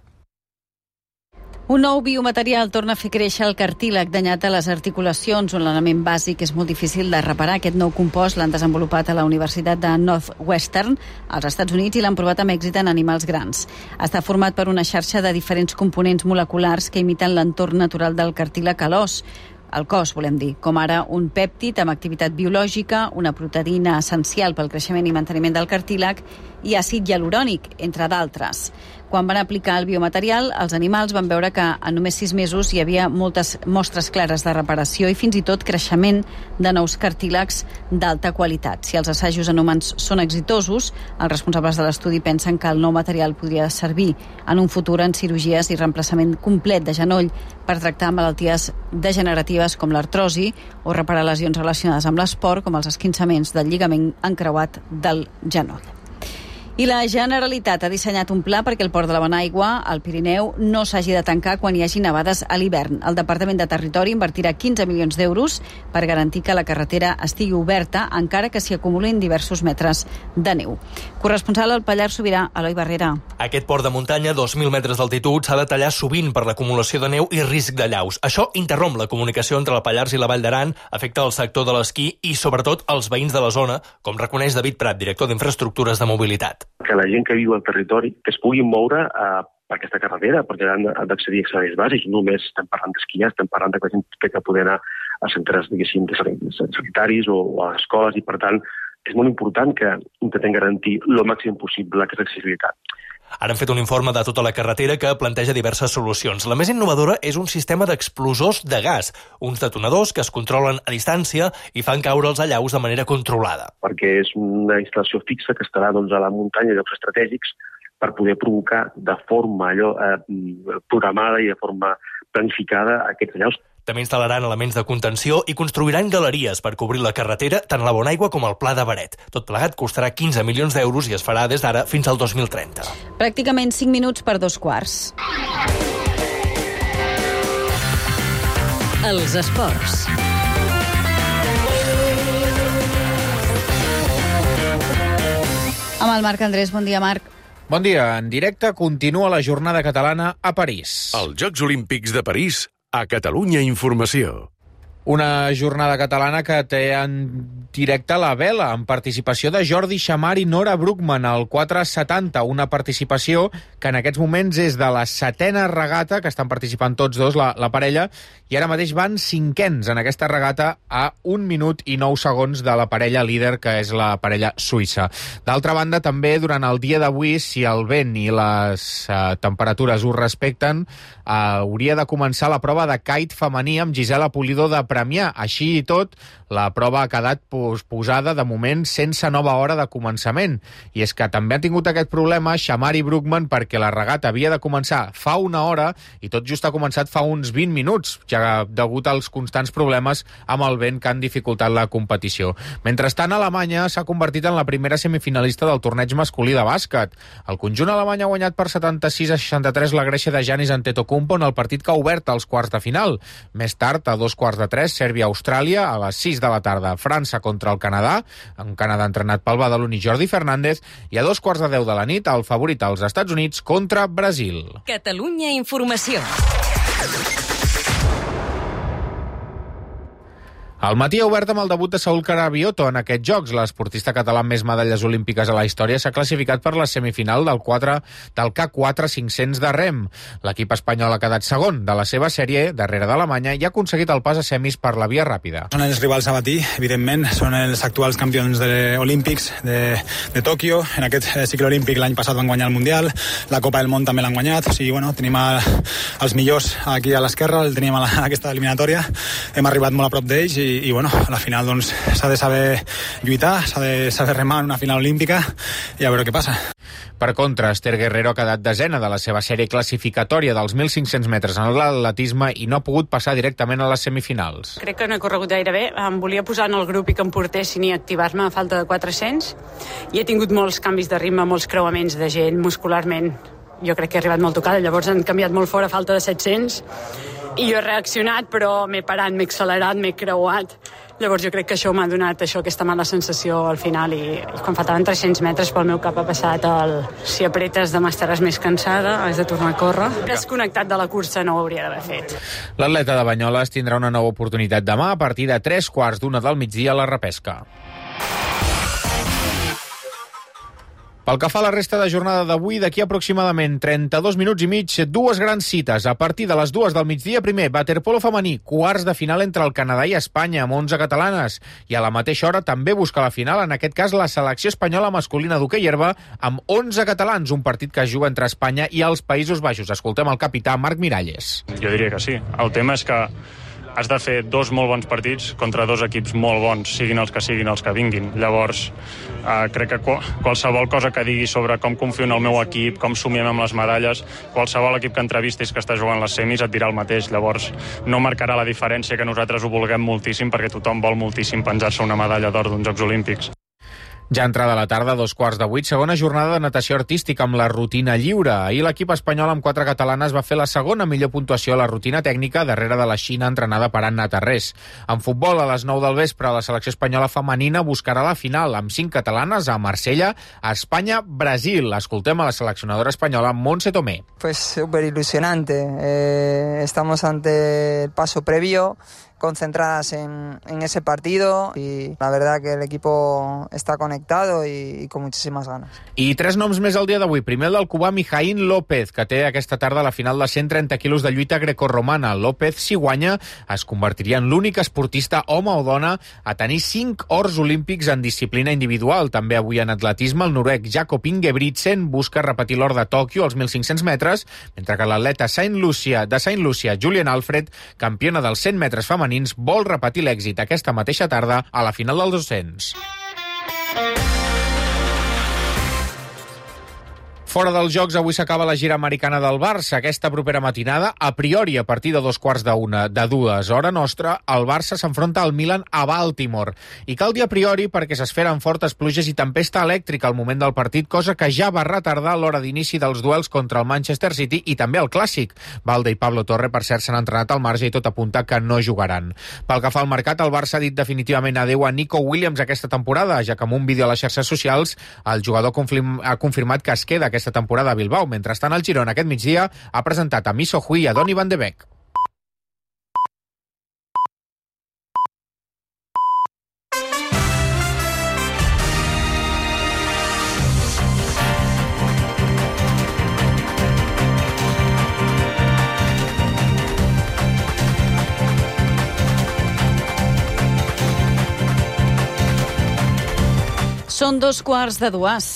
S2: Un nou biomaterial torna a fer créixer el cartílag danyat a les articulacions, un element bàsic és molt difícil de reparar. Aquest nou compost l'han desenvolupat a la Universitat de Northwestern, als Estats Units, i l'han provat amb èxit en animals grans. Està format per una xarxa de diferents components moleculars que imiten l'entorn natural del cartílag a l'os. El cos, volem dir, com ara un pèptid amb activitat biològica, una proteïna essencial pel creixement i manteniment del cartílag i àcid hialurònic, entre d'altres. Quan van aplicar el biomaterial, els animals van veure que en només sis mesos hi havia moltes mostres clares de reparació i fins i tot creixement de nous cartílags d'alta qualitat. Si els assajos en humans són exitosos, els responsables de l'estudi pensen que el nou material podria servir en un futur en cirurgies i reemplaçament complet de genoll per tractar malalties degeneratives com l'artrosi o reparar lesions relacionades amb l'esport com els esquinçaments del lligament encreuat del genoll. I la Generalitat ha dissenyat un pla perquè el port de la Bonaigua, al Pirineu, no s'hagi de tancar quan hi hagi nevades a l'hivern. El Departament de Territori invertirà quinze milions d'euros per garantir que la carretera estigui oberta, encara que s'hi acumulin diversos metres de neu. Corresponsal al Pallars Sobirà, Eloi Barrera.
S24: Aquest port de muntanya, dos mil metres d'altitud, s'ha de tallar sovint per l'acumulació de neu i risc de llaus. Això interromp la comunicació entre el Pallars i la Vall d'Aran, afecta el sector de l'esquí i, sobretot, els veïns de la zona, com reconeix David Prat, director d'Infraestructures de Mobilitat.
S25: Que la gent que viu al territori que es puguin moure eh, per aquesta carretera, perquè han d'accedir a serveis bàsics. Només estem parlant d'esquiar, estem parlant de que la gent que poder anar a centres, diguéssim, sanitaris o a escoles, i per tant és molt important que intentem garantir el màxim possible aquesta accessibilitat.
S24: Ara han fet un informe de tota la carretera que planteja diverses solucions. La més innovadora és un sistema d'explosors de gas, uns detonadors que es controlen a distància i fan caure els allaus de manera controlada.
S25: Perquè és una instal·lació fixa que estarà doncs, a la muntanya, a llocs estratègics, per poder provocar de forma allò, eh, programada i de forma planificada aquests allaus.
S24: També instal·laran elements de contenció i construiran galeries per cobrir la carretera, tant a la Bonaigua com al Pla de Beret. Tot plegat costarà quinze milions d'euros i es farà des d'ara fins al dos mil trenta.
S2: Pràcticament cinc minuts per dos quarts.
S1: Els esports.
S2: Amb el Marc Andrés. Bon dia, Marc.
S3: Bon dia. En directe continua la jornada catalana a París.
S5: Els Jocs Olímpics de París a Catalunya Informació.
S3: Una jornada catalana que té en directe la vela, amb participació de Jordi Xamar i Nora Brookman al quatre setanta, una participació que en aquests moments és de la setena regata, que estan participant tots dos, la, la parella, i ara mateix van cinquens en aquesta regata a un minut i nou segons de la parella líder, que és la parella suïssa. D'altra banda, també durant el dia d'avui, si el vent i les eh, temperatures ho respecten, eh, hauria de començar la prova de kite femení amb Gisela Pulido de Premià. Així i tot, la prova ha quedat posada de moment sense nova hora de començament. I és que també han tingut aquest problema Xamar i Brookman perquè la regata havia de començar fa una hora i tot just ha començat fa uns vint minuts, ja degut als constants problemes amb el vent que han dificultat la competició. Mentrestant, Alemanya s'ha convertit en la primera semifinalista del torneig masculí de bàsquet. El conjunt alemany ha guanyat per setanta-sis a seixanta-tres la Grècia de Giannis Antetokounmpo en el partit que ha obert als quarts de final. Més tard, a dos quarts de tres, Sèrbia-Austràlia, a les sis de la tarda, França contra el Canadà, un Canadà entrenat pel badaloní Jordi Fernández, i a dos quarts de deu de la nit, el favorit als Estats Units contra Brasil.
S1: Catalunya Informació.
S3: El matí ha obert amb el debut de Saúl Carabioto en aquests Jocs. L'esportista català amb més medalles olímpiques a la història s'ha classificat per la semifinal del, quatre, del K quatre cinc-cents de rem. L'equip espanyol ha quedat segon de la seva sèrie, darrere d'Alemanya, i ha aconseguit el pas a semis per la via ràpida.
S6: Són els rivals a batir, evidentment. Són els actuals campions de olímpics de, de Tòquio. En aquest cicle olímpic l'any passat van guanyar el Mundial. La Copa del Món també l'han guanyat. O sigui, bueno, tenim a, els millors aquí a l'esquerra, el tenim a, la, a aquesta eliminatòria. Hem arribat molt a prop d'ells i i bueno, a la final doncs s'ha de saber lluitar, s'ha de saber remar en una final olímpica i a veure què passa.
S3: Per contra, Esther Guerrero ha quedat desena de la seva sèrie classificatòria dels mil cinc-cents metres en l'atletisme i no ha pogut passar directament a les semifinals.
S7: Crec que no he corregut gaire bé. Em volia posar en el grup i que em portessin i activar-me a falta de quatre-cents i he tingut molts canvis de ritme, molts creuaments de gent muscularment. Jo crec que he arribat molt tocada, llavors han canviat molt fora a falta de set-cents i jo he reaccionat, però m'he parat, m'he accelerat, m'he creuat. Llavors jo crec que això m'ha donat això, aquesta mala sensació al final i, i quan faltaven tres-cents metres pel meu cap ha passat el si apretes demà estaràs més cansada, has de tornar a córrer. Desconnectat de la cursa no ho hauria d'haver fet.
S3: L'atleta de Banyoles tindrà una nova oportunitat demà a partir de tres quarts d'una del migdia a la repesca. Pel que fa a la resta de jornada d'avui, d'aquí aproximadament trenta-dos minuts i mig, dues grans cites. A partir de les dues del migdia, primer, waterpolo femení, quarts de final entre el Canadà i Espanya, amb onze catalanes. I a la mateixa hora també busca la final, en aquest cas, la selecció espanyola masculina d'hoquei herba, amb onze catalans, un partit que es juga entre Espanya i els Països Baixos. Escoltem el capità Marc Miralles.
S8: Jo diria que sí. El tema és que has de fer dos molt bons partits contra dos equips molt bons, siguin els que siguin els que vinguin. Llavors, eh, crec que qualsevol cosa que digui sobre com confio en el meu equip, com somiem amb les medalles, qualsevol equip que entrevistis que està jugant les semis et dirà el mateix. Llavors, no marcarà la diferència que nosaltres ho vulguem moltíssim, perquè tothom vol moltíssim penjar-se una medalla d'or d'uns Jocs Olímpics.
S3: Ja entrada la tarda, dos quarts de vuit, segona jornada de natació artística amb la rutina lliure. Ahir l'equip espanyol amb quatre catalanes va fer la segona millor puntuació a la rutina tècnica darrere de la Xina entrenada per Anna Tarrés. En futbol, a les nou del vespre, la selecció espanyola femenina buscarà la final amb cinc catalanes a Marsella, a Espanya, Brasil. Escoltem a la seleccionadora espanyola Montse Tomé.
S26: Pues súper ilusionante. Eh, estamos ante el paso previo.
S4: concentradas en, en ese partido y la verdad que el equipo está conectado y, y con muchísimas ganas.
S3: I tres noms més al dia d'avui. Primer el del cubà Mijaín López, que té aquesta tarda la final de cent trenta quilos de lluita grecorromana. López, si guanya, es convertiria en l'únic esportista, home o dona, a tenir cinc ors olímpics en disciplina individual. També avui en atletisme, el noruec Jakob Ingebrigtsen busca repetir l'or de Tòquio als mil cinc-cents metres, mentre que l'atleta Saint Lucia, de Saint Lucia, Julian Alfred, campiona dels cent metres femenins, vol repetir l'èxit aquesta mateixa tarda a la final dels dos-cents. Fora dels Jocs, avui s'acaba la gira americana del Barça. Aquesta propera matinada, a priori, a partir de dos quarts d'una, de dues, hora nostra, el Barça s'enfronta al Milan a Baltimore. I cal dir a priori perquè s'esferen fortes pluges i tempesta elèctrica al moment del partit, cosa que ja va retardar l'hora d'inici dels duels contra el Manchester City i també el Clàssic. Valde i Pablo Torre, per cert, s'han entrenat al marge i tot apunta que no jugaran. Pel que fa al mercat, el Barça ha dit definitivament adeu a Nico Williams aquesta temporada, ja que amb un vídeo a les xarxes socials el jugador ha confirmat que es queda aquesta temporada a Bilbao. Mentrestant, el Girona aquest migdia ha presentat a Miso Hui i a Donny van de Beek.
S2: Són dos quarts de dues.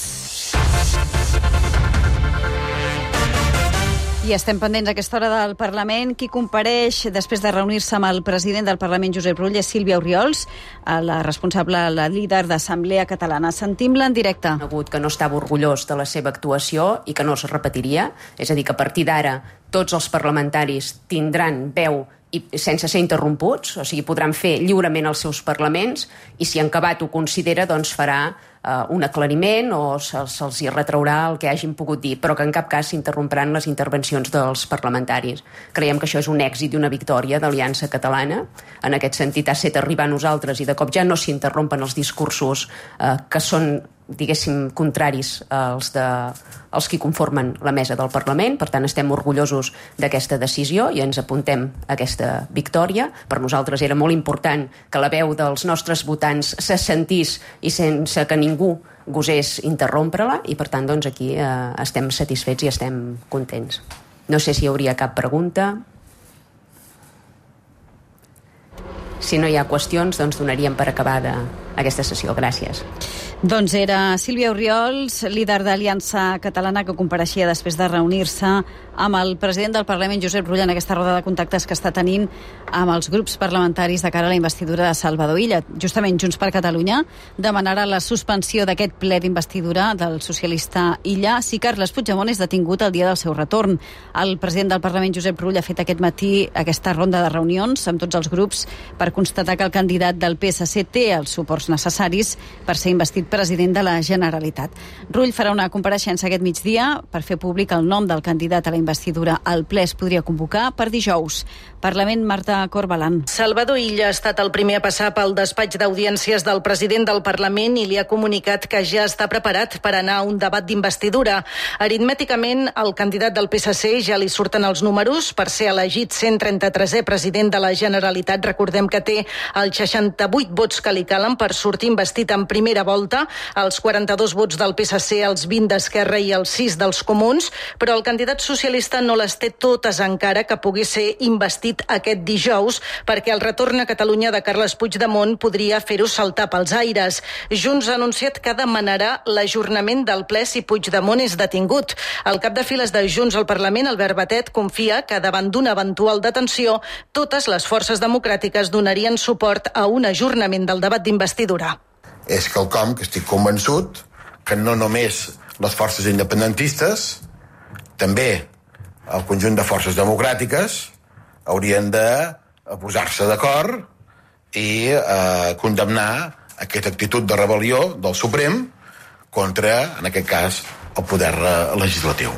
S2: I estem pendents a aquesta hora del Parlament. Qui compareix després de reunir-se amb el president del Parlament, Josep Rull, és Sílvia Oriols, la responsable, la líder d'Assemblea Catalana. Sentim-la en directe.
S9: Que no estava orgullós de la seva actuació i que no es repetiria. És a dir, que a partir d'ara tots els parlamentaris tindran veu i sense ser interromputs, o sigui, podran fer lliurement els seus parlaments i si en acabat ho considera, doncs farà uh, un aclariment o se'ls, se'ls hi retraurà el que hagin pogut dir, però que en cap cas s'interrompiran les intervencions dels parlamentaris. Creiem que això és un èxit i una victòria d'Aliança Catalana. En aquest sentit ha set arribar a nosaltres i de cop ja no s'interrompen els discursos uh, que són, diguéssim, contraris als de els qui conformen la mesa del Parlament. Per tant, estem orgullosos d'aquesta decisió i ens apuntem a aquesta victòria. Per nosaltres era molt important que la veu dels nostres votants se sentís i sense que ningú gosés interrompre-la i, per tant, doncs aquí eh, estem satisfets i estem contents. No sé si hi hauria cap pregunta. Si no hi ha qüestions, doncs donaríem per acabada aquesta sessió. Gràcies.
S2: Doncs era Sílvia Oriols, líder d'Aliança Catalana, que compareixia després de reunir-se amb el president del Parlament, Josep Rull, en aquesta roda de contactes que està tenint amb els grups parlamentaris de cara a la investidura de Salvador Illa. Justament Junts per Catalunya demanarà la suspensió d'aquest ple d'investidura del socialista Illa si Carles Puigdemont és detingut el dia del seu retorn. El president del Parlament, Josep Rull, ha fet aquest matí aquesta ronda de reunions amb tots els grups per constatar que el candidat del P S C té els suports necessaris per ser investit president de la Generalitat. Rull farà una compareixença aquest migdia per fer públic el nom del candidat a la investidura. El ple es podria convocar per dijous. Parlament, Marta Corbalan.
S10: Salvador Illa ha estat el primer a passar pel despatx d'audiències del president del Parlament i li ha comunicat que ja està preparat per anar a un debat d'investidura. Aritmèticament, al candidat del P S C ja li surten els números per ser elegit cent trenta-tresè president de la Generalitat. Recordem que té els seixanta-vuit vots que li calen per sortir investit en primera volta, els quaranta-dos vots del P S C, els vint d'Esquerra i els sis dels Comuns, però el candidat socialista no les té totes encara que pugui ser investit aquest dijous, perquè el retorn a Catalunya de Carles Puigdemont podria fer-ho saltar pels aires. Junts ha anunciat que demanarà l'ajornament del ple si Puigdemont és detingut. El cap de files de Junts al Parlament, Albert Batet, confia que davant d'una eventual detenció, totes les forces democràtiques donarien suport a un ajornament del debat d'investidura.
S11: És quelcom que estic convençut que no només les forces independentistes, també el conjunt de forces democràtiques haurien de posar-se d'acord i eh, condemnar aquesta actitud de rebel·lió del Suprem contra, en aquest cas, el poder legislatiu.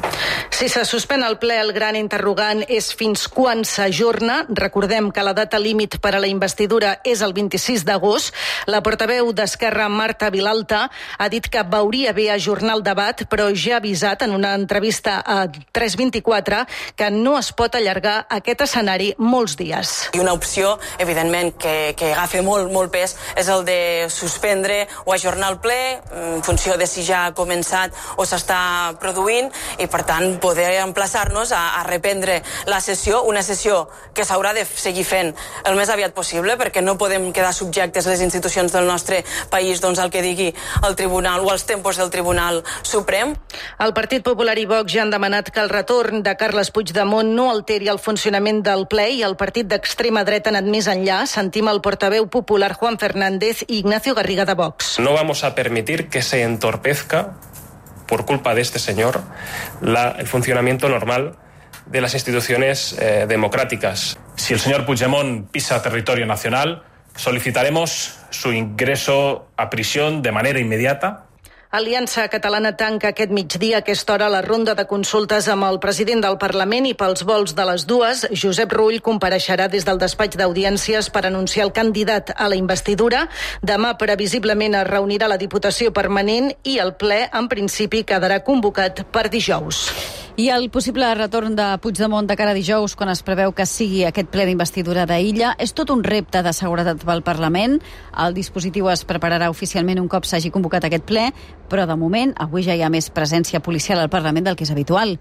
S10: Si se suspèn el ple, el gran interrogant és fins quan s'ajorna. Recordem que la data límit per a la investidura és el vint-i-sis d'agost. La portaveu d'Esquerra, Marta Vilalta, ha dit que veuria bé ajornar el debat, però ja ha avisat en una entrevista a tres vint-i-quatre que no es pot allargar aquest escenari molts dies.
S12: I una opció, evidentment, que, que agafa molt, molt pes és el de suspendre o ajornar el ple en funció de si ja ha començat o s'està produint i, per tant, poder emplaçar-nos a, a reprendre la sessió, una sessió que s'haurà de seguir fent el més aviat possible, perquè no podem quedar subjectes les institucions del nostre país doncs, al que digui el Tribunal o els tempos del Tribunal Suprem.
S10: El Partit Popular i Vox ja han demanat que el retorn de Carles Puigdemont no alteri el funcionament del ple i el partit d'extrema dreta ha anat més enllà. Sentim el portaveu popular Juan Fernández i Ignacio Garriga de Vox.
S13: No vamos a permitir que se entorpezca por culpa de este señor la, el funcionamiento normal de las instituciones eh, democráticas. Si el señor Puigdemont pisa territorio nacional, solicitaremos su ingreso a prisión de manera inmediata.
S10: Aliança Catalana tanca aquest migdia a aquesta hora la ronda de consultes amb el president del Parlament i pels vols de les dues, Josep Rull compareixerà des del despatx d'audiències per anunciar el candidat a la investidura. Demà, previsiblement, es reunirà la Diputació Permanent i el ple, en principi, quedarà convocat per dijous.
S2: I el possible retorn de Puigdemont de cara a dijous, quan es preveu que sigui aquest ple d'investidura d'Illa, és tot un repte de seguretat pel Parlament. El dispositiu es prepararà oficialment un cop s'hagi convocat aquest ple, però de moment avui ja hi ha més presència policial al Parlament del que és habitual.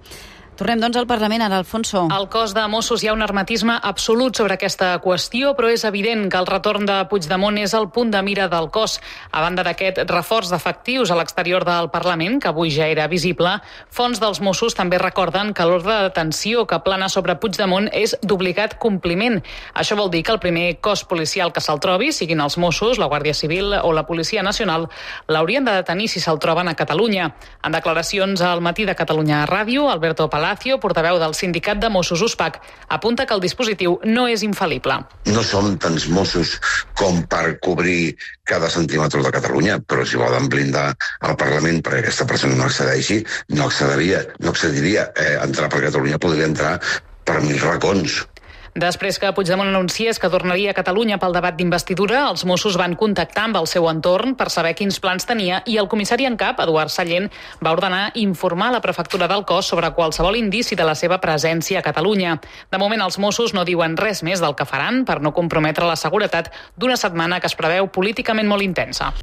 S2: Tornem, doncs, al Parlament, ara, Alfonso.
S14: Al cos de Mossos hi ha un hermetisme absolut sobre aquesta qüestió, però és evident que el retorn de Puigdemont és el punt de mira del cos. A banda d'aquest reforç d'efectius a l'exterior del Parlament, que avui ja era visible, fonts dels Mossos també recorden que l'ordre de detenció que plana sobre Puigdemont és d'obligat compliment. Això vol dir que el primer cos policial que se'l trobi, siguin els Mossos, la Guàrdia Civil o la Policia Nacional, l'haurien de detenir si se'l troben a Catalunya. En declaracions al Matí de Catalunya Ràdio, Alberto Palacio, portaveu del sindicat de Mossos U S P A C, apunta que el dispositiu no és infal·lible.
S15: No som tants Mossos com per cobrir cada centímetre de Catalunya, però si volen blindar el Parlament perquè aquesta persona no accedeixi, no accediria, no accediria. Eh, entrar per Catalunya podria entrar per mil racons.
S14: Després que Puigdemont anunciés que tornaria a Catalunya pel debat d'investidura, els Mossos van contactar amb el seu entorn per saber quins plans tenia i el comissari en cap, Eduard Sallent, va ordenar informar la prefectura del cos sobre qualsevol indici de la seva presència a Catalunya. De moment, els Mossos no diuen res més del que faran per no comprometre la seguretat d'una setmana que es preveu políticament molt intensa.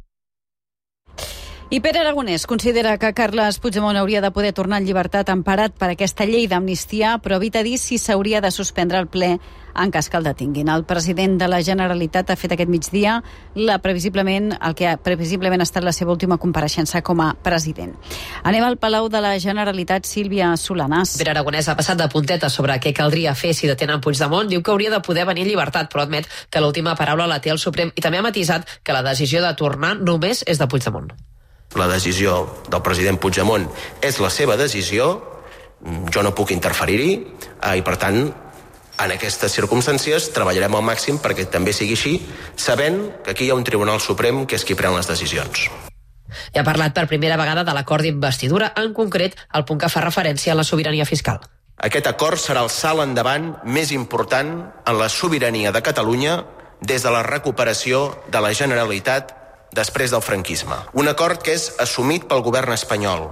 S2: I Pere Aragonès considera que Carles Puigdemont hauria de poder tornar en llibertat emparat per aquesta llei d'amnistia, però evita dir si s'hauria de suspendre el ple en cas que el detinguin. El president de la Generalitat ha fet aquest migdia la previsiblement, el que ha previsiblement ha estat la seva última compareixença com a president. Anem al Palau de la Generalitat, Sílvia Solanàs.
S16: Pere Aragonès ha passat de puntetes sobre què caldria fer si detenen Puigdemont. Diu que hauria de poder venir en llibertat, però admet que l'última paraula la té el Suprem i també ha matisat que la decisió de tornar només és de Puigdemont.
S26: La decisió del president Puigdemont és la seva decisió, jo no puc interferir-hi eh, i per tant en aquestes circumstàncies treballarem al màxim perquè també sigui així, sabent que aquí hi ha un Tribunal Suprem que és qui pren les decisions.
S16: I ha parlat per primera vegada de l'acord d'investidura, en concret el punt que fa referència a la sobirania fiscal.
S26: Aquest acord serà el salt endavant més important en la sobirania de Catalunya des de la recuperació de la Generalitat després del franquisme. Un acord que és assumit pel govern espanyol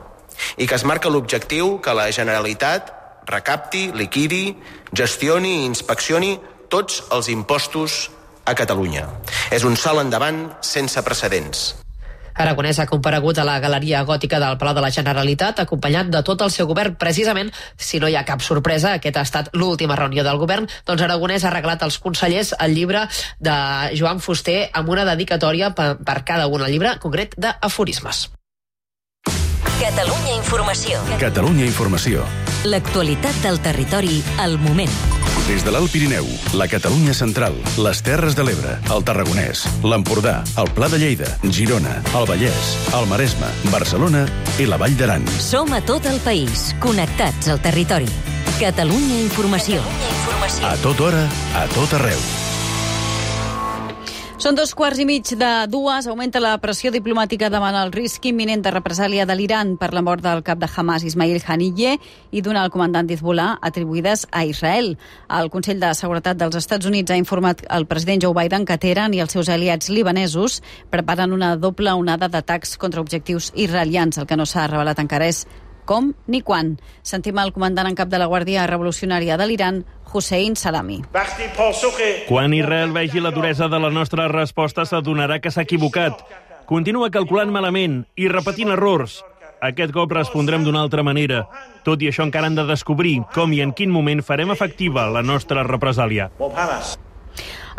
S26: i que es marca l'objectiu que la Generalitat recapti, liquidi, gestioni i inspeccioni tots els impostos a Catalunya. És un salt endavant sense precedents.
S16: Aragonès ha comparegut a la Galeria Gòtica del Palau de la Generalitat, acompanyat de tot el seu govern. Precisament, si no hi ha cap sorpresa, aquesta ha estat l'última reunió del govern, doncs Aragonès ha regalat als consellers el llibre de Joan Fuster amb una dedicatòria per, per cada un, el llibre concret d'aforismes.
S1: Catalunya Informació.
S5: Catalunya Informació.
S1: L'actualitat del territori al moment.
S5: Des de l'Alt Pirineu, la Catalunya Central, les Terres de l'Ebre, el Tarragonès, l'Empordà, el Pla de Lleida, Girona, el Vallès, el Maresme, Barcelona i la Vall d'Aran.
S1: Som a tot el país, connectats al territori. Catalunya Informació.
S5: A tota hora, a tot arreu.
S2: Són dos quarts i mig de dues. Augmenta la pressió diplomàtica davant el risc imminent de represàlia de l'Iran per la mort del cap de Hamas, Ismail Haniyeh, i d'un alt comandant d'Hezbollah atribuïdes a Israel. El Consell de Seguretat dels Estats Units ha informat el president Joe Biden que Teheran i els seus aliats libanesos preparen una doble onada d'atacs contra objectius israelians. El que no s'ha revelat encara és com ni quan. Sentim el comandant en cap de la Guàrdia Revolucionària de l'Iran, Hossein Salami.
S17: Quan Israel vegi la duresa de la nostra resposta, s'adonarà que s'ha equivocat. Continua calculant malament i repetint errors. Aquest cop respondrem d'una altra manera. Tot i això encara han de descobrir com i en quin moment farem efectiva la nostra represàlia.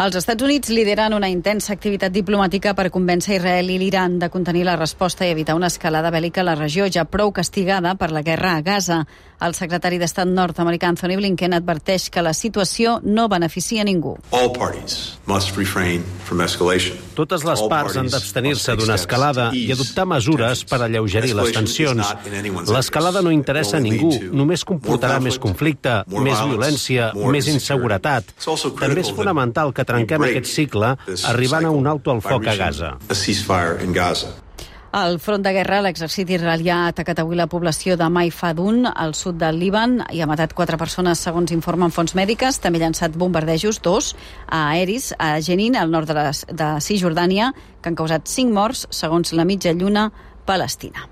S2: Els Estats Units lideren una intensa activitat diplomàtica per convèncer Israel i l'Iran de contenir la resposta i evitar una escalada bèl·lica a la regió, ja prou castigada per la guerra a Gaza. El secretari d'Estat nord-americà Anthony Blinken adverteix que la situació no beneficia a ningú.
S18: Totes les parts han d'abstenir-se d'una escalada i adoptar mesures per alleugerir les tensions. L'escalada no interessa a ningú, només comportarà més conflicte, més violència, més inseguretat. També és fonamental que trenquem aquest cicle arribant a un alto al foc a Gaza.
S2: Al front de guerra, l'exèrcit israelià ha atacat avui la població de Maifadun, al sud del Líban, i ha matat quatre persones, segons informen fonts mèdiques. També ha llançat bombardejos, dos, a aeris, a Jenin, al nord de, la, de Cisjordània, que han causat cinc morts, segons la mitja lluna palestina.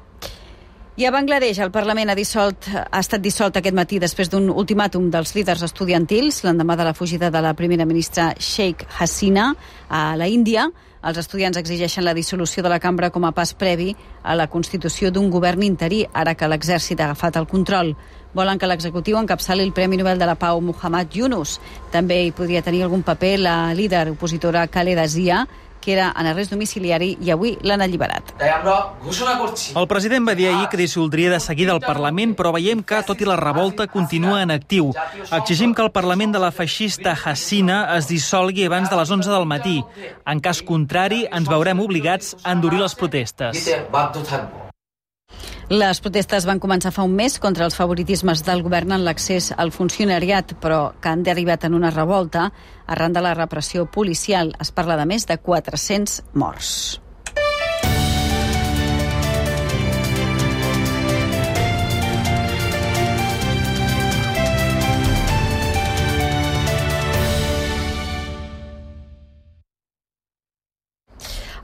S2: I a Bangladesh, el Parlament ha, dissolt, ha estat dissolt aquest matí després d'un ultimàtum dels líders estudiantils, l'endemà de la fugida de la primera ministra Sheikh Hasina a la Índia. Els estudiants exigeixen la dissolució de la cambra com a pas previ a la constitució d'un govern interí, ara que l'exèrcit ha agafat el control. Volen que l'executiu encapçali el Premi Nobel de la Pau Muhammad Yunus. També hi podria tenir algun paper la líder opositora Khaleda Zia, que era en arrest domiciliari i avui l'han alliberat.
S19: El president va dir ahir que dissoldria de seguida el Parlament, però veiem que, tot i la revolta, continua en actiu. Exigim que el Parlament de la feixista Hasina es dissolgui abans de les onze del matí. En cas contrari, ens veurem obligats a endurir les protestes.
S2: Les protestes van començar fa un mes contra els favoritismes del govern en l'accés al funcionariat, però que han derivat en una revolta arran de la repressió policial. Es parla de més de quatre-cents morts.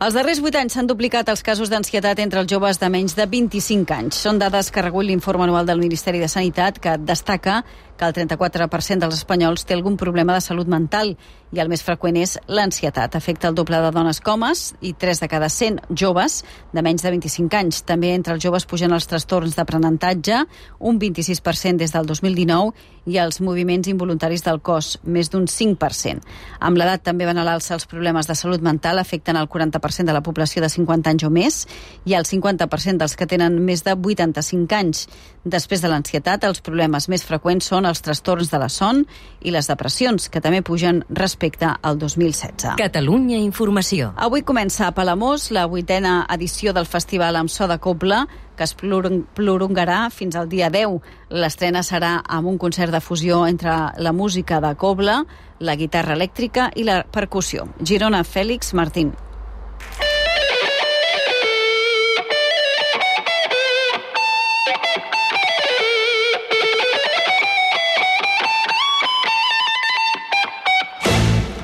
S2: Els darrers vuit anys s'han duplicat els casos d'ansietat entre els joves de menys de vint-i-cinc anys. Són dades que recull l'informe anual del Ministeri de Sanitat, que destaca que el trenta-quatre per cent dels espanyols té algun problema de salut mental i el més freqüent és l'ansietat. Afecta el doble de dones que homes i tres de cada cent joves de menys de vint-i-cinc anys. També entre els joves pugen els trastorns d'aprenentatge, un vint-i-sis per cent des del dos mil dinou, i els moviments involuntaris del cos, més d'un cinc per cent. Amb l'edat també van a l'alça els problemes de salut mental, afecten el quaranta per cent de la població de cinquanta anys o més i el cinquanta per cent dels que tenen més de vuitanta-cinc anys. Després de l'ansietat, els problemes més freqüents són els trastorns de la son i les depressions, que també pugen respecte al dos mil setze.
S1: Catalunya Informació.
S2: Avui comença a Palamós la vuitena edició del Festival amb so de Cobla, que es prolongarà fins al dia deu. L'estrena serà amb un concert de fusió entre la música de Cobla, la guitarra elèctrica i la percussió. Girona, Fèlix Martín.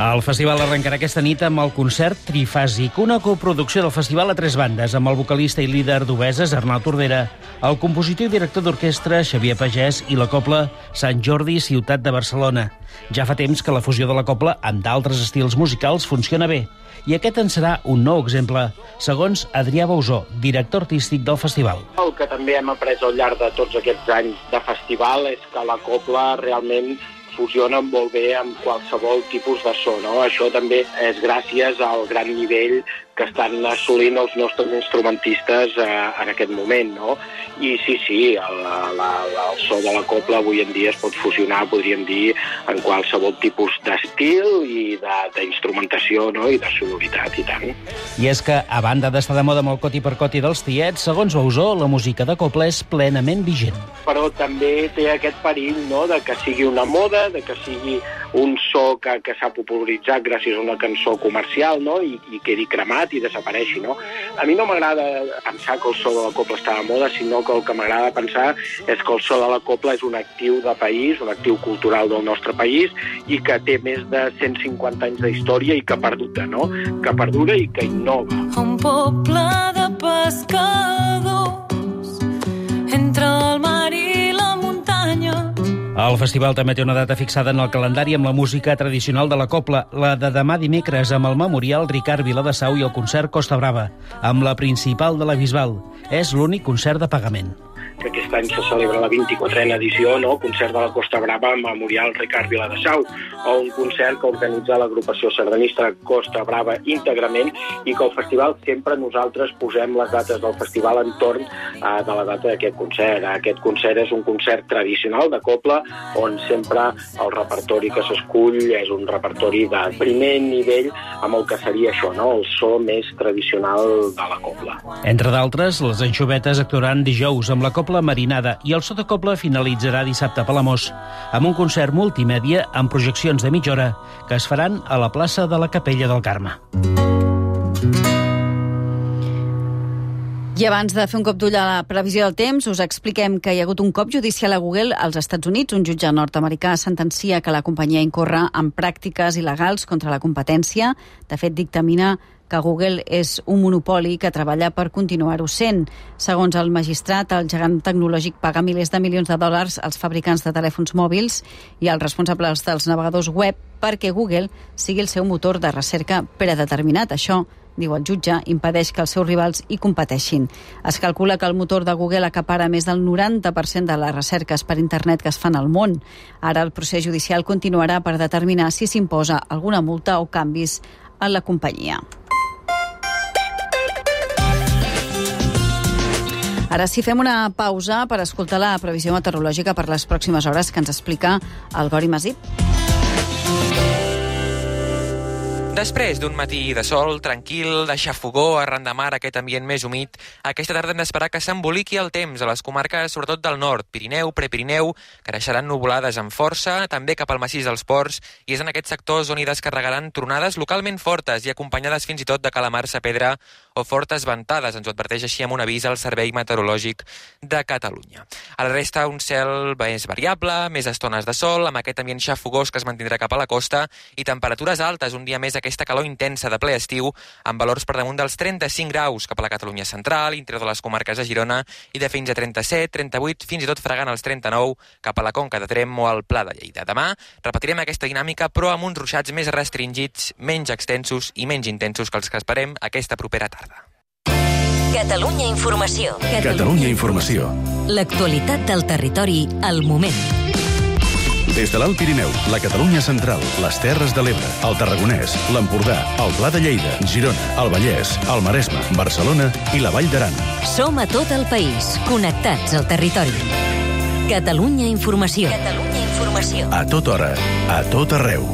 S20: El festival arrencarà aquesta nit amb el concert Trifàsic, una coproducció del festival a tres bandes, amb el vocalista i líder d'Obeses, Arnau Tordera, el compositor i director d'orquestra, Xavier Pagès, i la cobla Sant Jordi, ciutat de Barcelona. Ja fa temps que la fusió de la cobla amb d'altres estils musicals funciona bé, i aquest en serà un nou exemple, segons Adrià Bausó, director artístic del festival.
S22: El que també hem après al llarg de tots aquests anys de festival és que la cobla realment fusiona molt bé amb qualsevol tipus de so, no? Això també és gràcies al gran nivell que estan assolint els nostres instrumentistes eh, en aquest moment, no? I sí, sí, el, la, el so de la cobla avui en dia es pot fusionar, podríem dir, en qualsevol tipus d'estil i d'instrumentació, no? I de sonoritat, i tant.
S20: I és que, a banda d'estar de moda amb el coti per coti dels tiets, segons Bausó, la música de cobla és plenament vigent.
S22: Però també té aquest perill, no?, de que sigui una moda, de que sigui un so que, que s'ha popularitzat gràcies a una cançó comercial, no? I, i quedi cremat i desapareixi, no? A mi no m'agrada pensar que el so de la copla està de moda, sinó que el que m'agrada pensar és que el so de la copla és un actiu de país, un actiu cultural del nostre país i que té més de cent cinquanta anys d'història i que perdura, no? Que perdura i que innova.
S6: Un poble de pescadors entre el mar i la muntanya.
S20: El festival també té una data fixada en el calendari amb la música tradicional de la copla, la de demà dimecres amb el Memorial Ricard Viladesau i el concert Costa Brava, amb la principal de la Bisbal. És l'únic concert de pagament.
S22: Que aquest any se celebra la vint-i-quatrena edició, no? Concert de la Costa Brava amb Memorial Ricard Viladesau, o un concert que organitza l'agrupació sardanista Costa Brava íntegrament i que al festival sempre nosaltres posem les dates del festival entorn uh, de la data d'aquest concert. Aquest concert és un concert tradicional de copla on sempre el repertori que s'escull és un repertori de primer nivell amb el que seria això, no? El so més tradicional de la copla.
S20: Entre d'altres, les Anxovetes actuaran dijous amb la copla marinada i el so de copla finalitzarà dissabte a Palamós, amb un concert multimèdia amb projeccions de mitja hora que es faran a la plaça de la Capella del Carme.
S2: I abans de fer un cop d'ull a la previsió del temps, us expliquem que hi ha hagut un cop judicial a Google als Estats Units. Un jutge nord-americà sentencia que la companyia incorre en pràctiques il·legals contra la competència. De fet, dictamina que Google és un monopoli que treballa per continuar-ho sent. Segons el magistrat, el gegant tecnològic paga milers de milions de dòlars als fabricants de telèfons mòbils i als responsables dels navegadors web perquè Google sigui el seu motor de recerca predeterminat. Això, diu el jutge, impedeix que els seus rivals hi competeixin. Es calcula que el motor de Google acapara més del noranta per cent de les recerques per internet que es fan al món. Ara el procés judicial continuarà per determinar si s'imposa alguna multa o canvis en la companyia. Ara sí, fem una pausa per escoltar la previsió meteorològica per les pròximes hores que ens explica el Gori Masip.
S7: Després d'un matí de sol, tranquil, de xafogó, arran de mar, aquest ambient més humit, aquesta tarda hem d'esperar que s'emboliqui el temps a les comarques, sobretot del nord, Pirineu, Prepirineu, que deixaran nuvolades amb força, també cap al massís dels Ports, i és en aquests sectors on hi descarregaran tronades localment fortes i acompanyades fins i tot de calamars a pedra o fortes ventades. Ens ho adverteix així amb un avís al Servei Meteorològic de Catalunya. A la resta, un cel més variable, més estones de sol, amb aquest ambient xafogós que es mantindrà cap a la costa i temperatures altes, un dia més aquesta calor intensa de ple estiu, amb valors per damunt dels trenta-cinc graus cap a la Catalunya central, interior de les comarques de Girona, i de fins a trenta-set, trenta-vuit, fins i tot fregant els trenta-nou cap a la Conca de Tremp o al Pla de Lleida. Demà repetirem aquesta dinàmica, però amb uns ruixats més restringits, menys extensos i menys intensos que els que esperem aquesta propera tarda.
S1: Catalunya Informació.
S5: Catalunya Informació.
S1: L'actualitat del territori al moment.
S5: Des de l'Alt Pirineu, la Catalunya central, les Terres de l'Ebre, el Tarragonès, l'Empordà, el Pla de Lleida, Girona, el Vallès, el Maresme, Barcelona i la Vall d'Aran.
S1: Som a tot el país, connectats al territori. Catalunya Informació. Catalunya Informació.
S5: A tota hora, a tot arreu.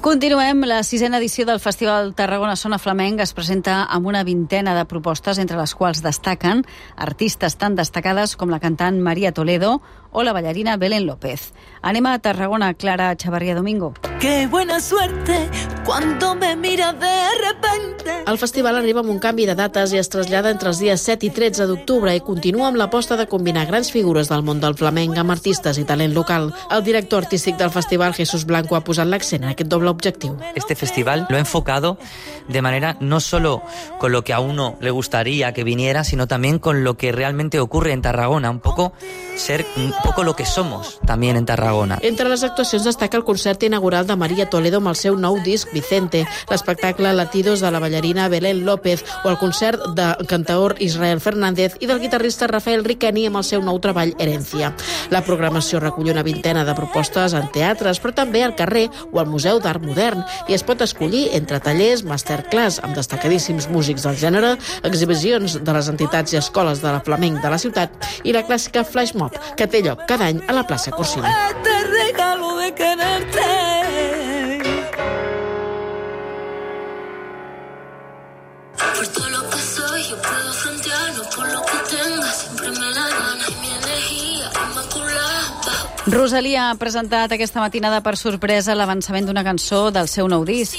S2: Continuem. La sisena edició del Festival Tarragona Sona Flamenc es presenta amb una vintena de propostes, entre les quals destaquen artistes tan destacades com la cantant María Toledo o la ballarina Belén López. Anem a Tarragona, Clara Chavarría Domingo.
S6: Qué buena suerte cuando me mira de repente.
S21: El festival arriba amb un canvi de dates i es trasllada entre els dies set i tretze d'octubre i continua amb l'aposta de combinar grans figures del món del flamenc amb artistes i talent local. El director artístic del festival, Jesús Blanco, ha posat l'accent en aquest doble objectiu.
S23: Este festival lo ha enfocado de manera no solo con lo que a uno le gustaría que viniera, sino también con lo que realmente ocurre en Tarragona, un poco ser un poco lo que somos también en Tarragona.
S21: Entre les actuacions destaca el concert inaugural de María Toledo amb el seu nou disc Vicente, l'espectacle Latidos de la ballarina Belén López o el concert del cantaor Israel Fernández i del guitarrista Rafael Riqueni amb el seu nou treball Herencia. La programació recull una vintena de propostes en teatres, però també al carrer o al Museu d'Art Modern, i es pot escollir entre tallers, masterclass amb destacadíssims músics del gènere, exhibicions de les entitats i escoles de la flamenc de la ciutat i la clàssica Flash Mob, que té lloc cada any a la plaça Corsini.
S6: Este regalo de quererte. Por todo lo que soy yo puedo frontear, no por lo que tenga, siempre me la gana y mi energía inmaculada.
S2: Rosalia ha presentat aquesta matinada per sorpresa l'avançament d'una cançó del seu nou disc.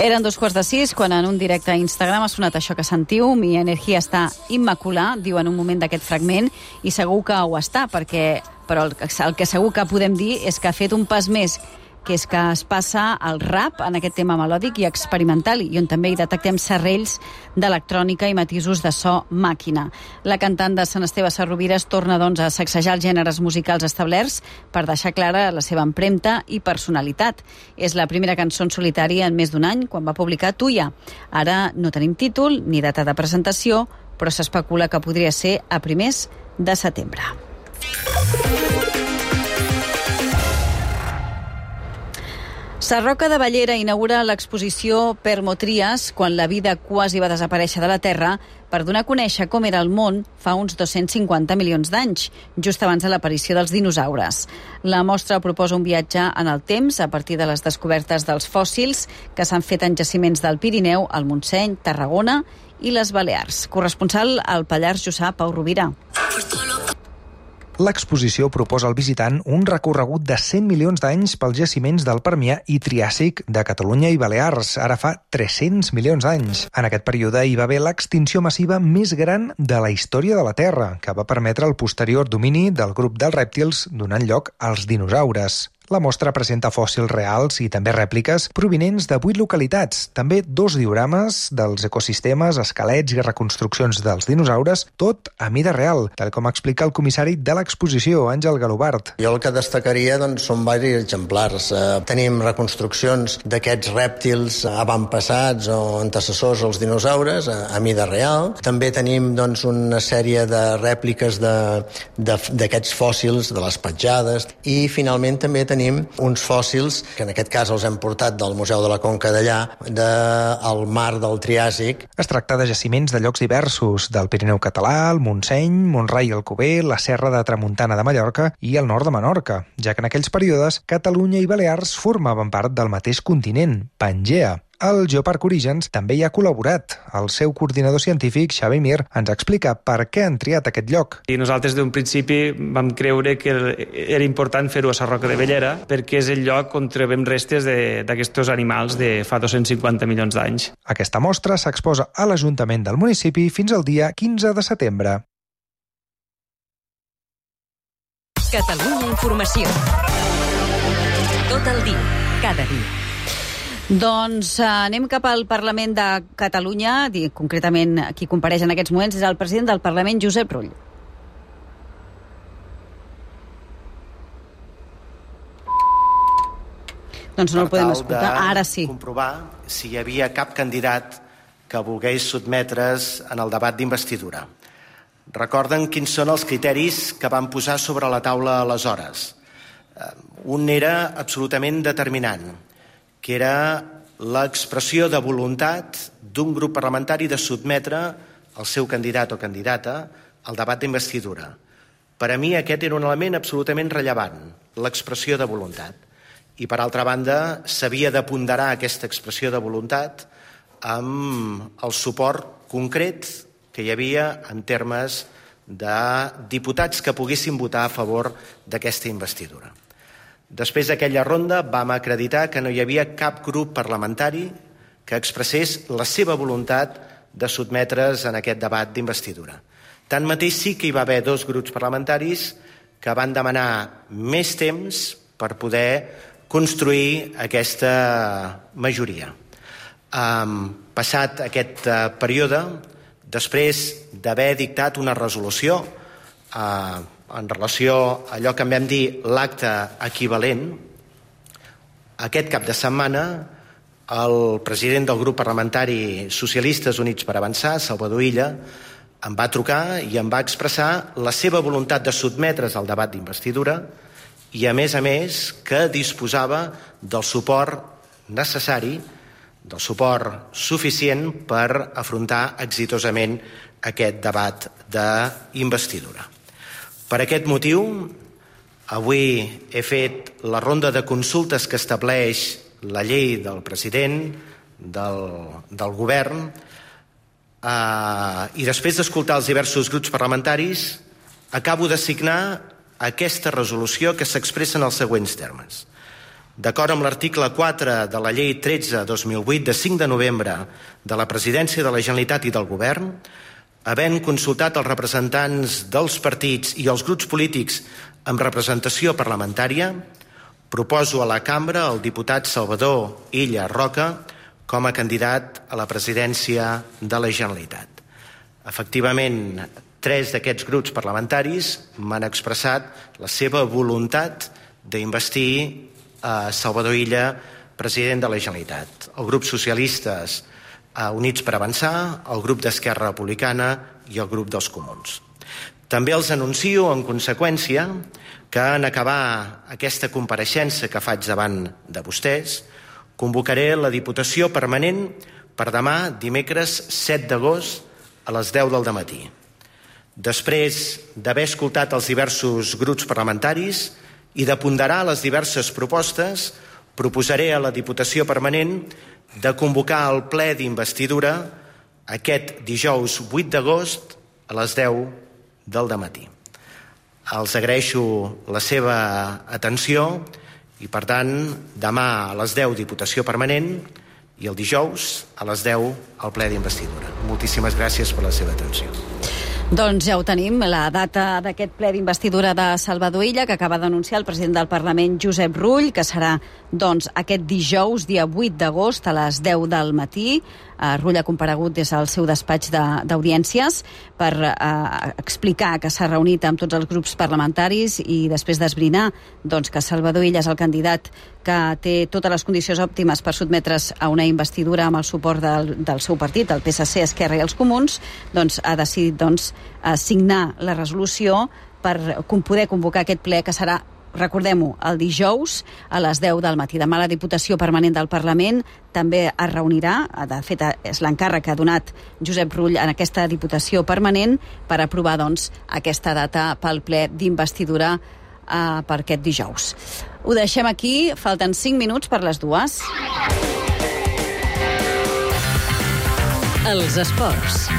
S2: Eren dos quarts de sis quan en un directe a Instagram ha sonat això que sentiu. Mi energia està immaculada, diu en un moment d'aquest fragment, i segur que ho està, perquè, però el, el que segur que podem dir és que ha fet un pas més, que és que es passa al rap en aquest tema melòdic i experimental, i on també hi detectem serrells d'electrònica i matisos de so màquina. La cantant de Sant Esteve Sarrovires torna doncs a sacsejar els gèneres musicals establerts per deixar clara la seva empremta i personalitat. És la primera cançó en solitari en més d'un any, quan va publicar Tuya. Ara no tenim títol ni data de presentació, però s'especula que podria ser a primers de setembre. Sarroca de Bellera inaugura l'exposició Permotrias, quan la vida quasi va desaparèixer de la Terra, per donar a conèixer com era el món fa uns dos-cents cinquanta milions d'anys, just abans de l'aparició dels dinosaures. La mostra proposa un viatge en el temps a partir de les descobertes dels fòssils que s'han fet en jaciments del Pirineu, el Montseny, Tarragona i les Balears. Corresponsal al Pallars Jussà, Pau Rovira.
S3: L'exposició proposa al visitant un recorregut de cent milions d'anys pels jaciments del Permià i Triàsic de Catalunya i Balears, ara fa tres-cents milions d'anys. En aquest període hi va haver l'extinció massiva més gran de la història de la Terra, que va permetre el posterior domini del grup dels rèptils, donant lloc als dinosaures. La mostra presenta fòssils reals i també rèpliques provinents de vuit localitats, també dos diorames dels ecosistemes, esquelets i reconstruccions dels dinosaures, tot a mida real, tal com explica el comissari de l'exposició, Àngel Galobart.
S4: Jo el que destacaria doncs, són diversos exemplars. Eh, tenim reconstruccions d'aquests rèptils avantpassats o antecessors als dinosaures a, a mida real. També tenim doncs, una sèrie de rèpliques d'aquests fòssils, de les petjades, i finalment també tenim uns fòssils, que en aquest cas els hem portat del Museu de la Conca d'allà, del mar del Triàsic.
S3: Es tracta de jaciments de llocs diversos, del Pirineu català, el Montseny, Montroi i Alcover, la Serra de Tramuntana de Mallorca i el nord de Menorca, ja que en aquells períodes Catalunya i Balears formaven part del mateix continent, Pangea. El Geoparc Orígens també hi ha col·laborat. El seu coordinador científic, Xavi Mir, ens explica per què han triat aquest lloc.
S8: I nosaltres d'un principi vam creure que era important fer-ho a Sarroca de Bellera perquè és el lloc on trobem restes d'aquests animals de fa dos-cents cinquanta milions d'anys.
S3: Aquesta mostra s'exposa a l'Ajuntament del municipi fins al dia quinze de setembre.
S1: Catalunya Informació. Tot el dia, cada dia.
S2: Doncs eh, anem cap al Parlament de Catalunya, concretament qui compareix en aquests moments és el president del Parlament, Josep Rull. Doncs no el podem escoltar, ara sí.
S9: Per comprovar si hi havia cap candidat que volgués sotmetre's en el debat d'investidura. Recorden quins són els criteris que van posar sobre la taula aleshores. Un era absolutament determinant, que era l'expressió de voluntat d'un grup parlamentari de sotmetre el seu candidat o candidata al debat d'investidura. Per a mi aquest era un element absolutament rellevant, l'expressió de voluntat. I, per altra banda, s'havia de ponderar aquesta expressió de voluntat amb el suport concret que hi havia en termes de diputats que poguessin votar a favor d'aquesta investidura. Després d'aquella ronda vam acreditar que no hi havia cap grup parlamentari que expressés la seva voluntat de sotmetre's en aquest debat d'investidura. Tanmateix sí que hi va haver dos grups parlamentaris que van demanar més temps per poder construir aquesta majoria. Um, passat aquest uh, període, després d'haver dictat una resolució uh, en relació a allò que en vam dir l'acte equivalent, aquest cap de setmana el president del grup parlamentari Socialistes Units per Avançar, Salvador Illa, em va trucar i em va expressar la seva voluntat de sotmetre's al debat d'investidura i, a més a més, que disposava del suport necessari, del suport suficient per afrontar exitosament aquest debat d'investidura. Per aquest motiu, avui he fet la ronda de consultes que estableix la llei del president, del, del govern, eh, i després d'escoltar els diversos grups parlamentaris, acabo de signar aquesta resolució que s'expressa en els següents termes. D'acord amb l'article quatre de la llei tretze dos mil vuit de cinc de novembre de la Presidència de la Generalitat i del Govern, havent consultat els representants dels partits i els grups polítics amb representació parlamentària, proposo a la cambra el diputat Salvador Illa Roca com a candidat a la presidència de la Generalitat. Efectivament, tres d'aquests grups parlamentaris m'han expressat la seva voluntat d'investir a Salvador Illa president de la Generalitat. El grup socialistes Units per Avançar, el grup d'Esquerra Republicana i el grup dels Comuns. També els anuncio, en conseqüència, que en acabar aquesta compareixença que faig davant de vostès, convocaré la Diputació Permanent per demà, dimecres set d'agost, a les deu del dematí. Després d'haver escoltat els diversos grups parlamentaris i de ponderar les diverses propostes, proposaré a la Diputació Permanent de convocar el ple d'investidura aquest dijous vuit d'agost a les deu del dematí. Els agraeixo la seva atenció i, per tant, demà a les deu Diputació Permanent i el dijous a les deu el ple d'investidura. Moltíssimes gràcies per la seva atenció.
S2: Doncs ja ho tenim, la data d'aquest ple d'investidura de Salvador Illa, que acaba d'anunciar el president del Parlament, Josep Rull, que serà doncs, aquest dijous, dia vuit d'agost, a les deu del matí. Uh, Rull ha comparegut des del seu despatx d'audiències de, per uh, explicar que s'ha reunit amb tots els grups parlamentaris i després d'esbrinar doncs, que Salvador Illa és el candidat que té totes les condicions òptimes per sotmetre's a una investidura amb el suport del, del seu partit, el P S C, Esquerra i els Comuns, doncs ha decidit doncs, signar la resolució per poder convocar aquest ple que serà, recordem-ho, el dijous a les deu del matí. Demà la Diputació Permanent del Parlament també es reunirà, de fet és l'encàrrec que ha donat Josep Rull en aquesta Diputació Permanent per aprovar doncs, aquesta data pel ple d'investidura eh, per aquest dijous. Ho deixem aquí, falten cinc minuts per les dues.
S1: Els esports.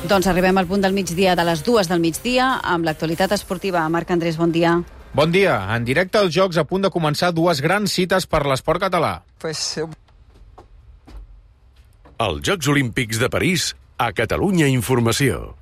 S2: Doncs arribem al punt del migdia de les dues del migdia amb l'actualitat esportiva. Marc Andrés, bon dia.
S10: Bon dia. En directe als Jocs, a punt de començar dues grans cites per l'esport català.
S11: Pues...
S5: Els Jocs Olímpics de París, a Catalunya Informació.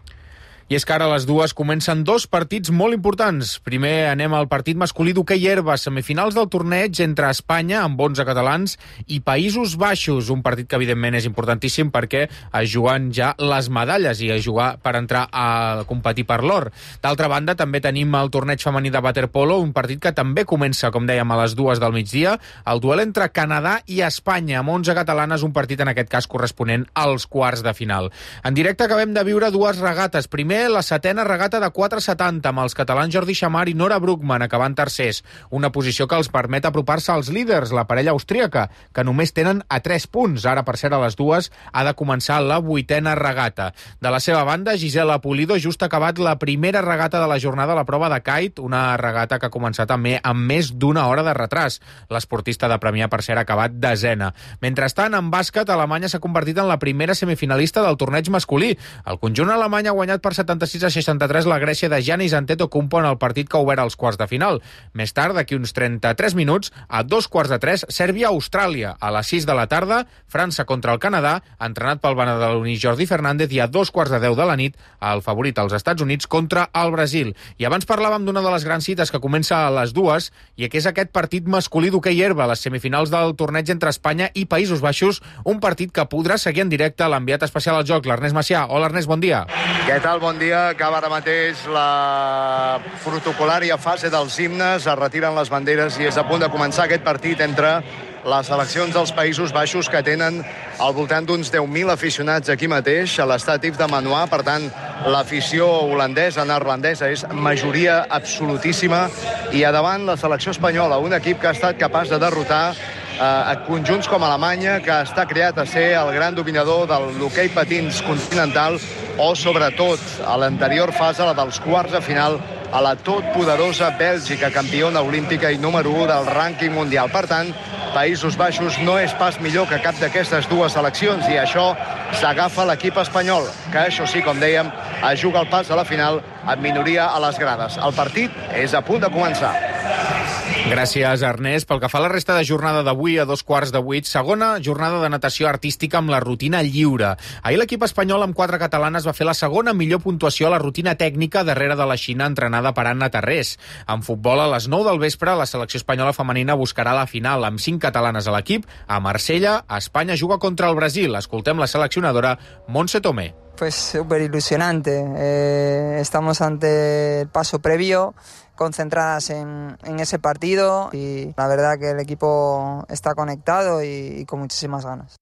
S10: I és que ara a les dues comencen dos partits molt importants. Primer anem al partit masculí d'hoquei herba, semifinals del torneig entre Espanya, amb onze catalans, i Països Baixos, un partit que evidentment és importantíssim perquè es juguen ja les medalles i es jugar per entrar a competir per l'or. D'altra banda, també tenim el torneig femení de waterpolo, un partit que també comença, com dèiem, a les dues del migdia, el duel entre Canadà i Espanya, amb onze catalanes, un partit en aquest cas corresponent als quarts de final. En directe acabem de viure dues regates. Primer, la setena regata de quatre setanta amb els catalans Jordi Xamar i Nora Bruckmann acabant tercers, una posició que els permet apropar-se als líders, la parella austríaca, que només tenen a tres punts. Ara, per ser a les dues, ha de començar la vuitena regata. De la seva banda, Gisela Pulido just ha acabat la primera regata de la jornada a la prova de kite, una regata que ha començat també amb més d'una hora de retras. L'esportista de Premià, per ser, ha acabat desena. Mentrestant, en bàsquet, Alemanya s'ha convertit en la primera semifinalista del torneig masculí. El conjunt alemany ha guanyat per setanta-sis a seixanta-tres la Grècia de Giannis Antetokounmpo en el partit que ha obert els quarts de final. Més tard, d'aquí uns trenta-tres minuts, a dos quarts de tres, Sèrbia-Austràlia. A les sis de la tarda, França contra el Canadà, entrenat pel badaloní Jordi Fernández, i a dos quarts de deu de la nit, el favorit als Estats Units contra el Brasil. I abans parlàvem d'una de les grans cites que comença a les dues, i que és aquest partit masculí d'hoquei herba, les semifinals del torneig entre Espanya i Països Baixos, un partit que podrà seguir en directe l'enviat especial al joc, l'Ernest Macià. Hola, Ernest, bon dia.
S12: Què tal? Bon dia. Acaba ara mateix la protocolària fase dels himnes, es retiren les banderes i és a punt de començar aquest partit entre les seleccions dels Països Baixos, que tenen al voltant d'uns deu mil aficionats aquí mateix, a l'estat Yves de Manoir. Per tant, l'afició holandesa, neerlandesa, és majoria absolutíssima. I a davant la selecció espanyola, un equip que ha estat capaç de derrotar a conjunts com Alemanya, que està creat a ser el gran dominador de l'hoquei patins continental, o sobretot a l'anterior fase, la dels quarts de final, a la totpoderosa Bèlgica, campiona olímpica i número u del rànquing mundial. Per tant, Països Baixos no és pas millor que cap d'aquestes dues seleccions i això s'agafa l'equip espanyol, que això sí, com dèiem, es juga el pas a la final amb minoria a les grades. El partit és a punt de començar.
S10: Gràcies, Ernest. Pel que fa a la resta de jornada d'avui, a dos quarts de vuit, segona jornada de natació artística amb la rutina lliure. Ahir l'equip espanyol amb quatre catalanes va fer la segona millor puntuació a la rutina tècnica darrere de la Xina entrenada per Anna Tarrés. En futbol, a les nou del vespre, la selecció espanyola femenina buscarà la final amb cinc catalanes a l'equip. A Marsella, Espanya juga contra el Brasil. Escoltem la seleccionadora Montse Tomé.
S11: Pues súper ilusionante. Eh, estamos ante el paso previo, concentradas en, en ese partido y la verdad que el equipo está conectado y, y con muchísimas ganas.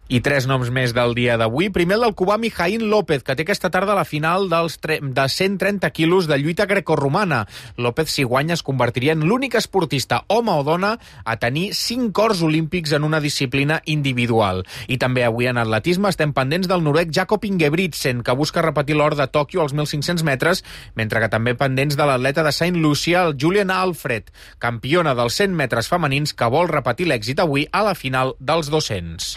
S10: I tres noms més del dia d'avui. Primer el del cubà Mijaín López, que té aquesta tarda la final dels tre... de cent trenta quilos de lluita grecorromana. López, si guanya, es convertiria en l'únic esportista, home o dona, a tenir cinc ors olímpics en una disciplina individual. I també avui en atletisme estem pendents del noruec Jakob Ingebrigtsen, que busca repetir l'or de Tòquio als mil cinc-cents metres, mentre que també pendents de l'atleta de Saint Lucia, el Julian Alfred, campiona dels cent metres femenins, que vol repetir l'èxit avui a la final dels dos-cents.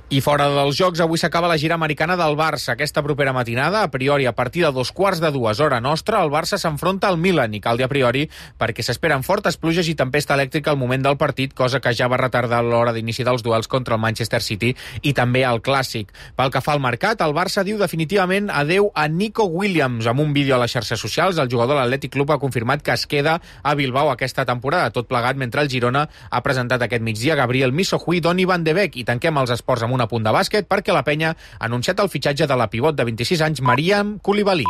S10: I fora dels Jocs, avui s'acaba la gira americana del Barça. Aquesta propera matinada, a priori a partir de dos quarts de dues hora nostra, el Barça s'enfronta al Milan, i cal dir a priori perquè s'esperen fortes pluges i tempesta elèctrica al moment del partit, cosa que ja va retardar l'hora d'inici dels duels contra el Manchester City i també el Clàssic. Pel que fa al mercat, el Barça diu definitivament adeu a Nico Williams. Amb un vídeo a les xarxes socials, el jugador de l'Atlètic Club ha confirmat que es queda a Bilbao aquesta temporada, tot plegat mentre el Girona ha presentat aquest migdia Gabriel Missohui i Donny van de Beek. I tanquem els esports amb un apunt de bàsquet perquè la penya ha anunciat el fitxatge de la pivot de vint-i-sis anys Mariam Koulibaly.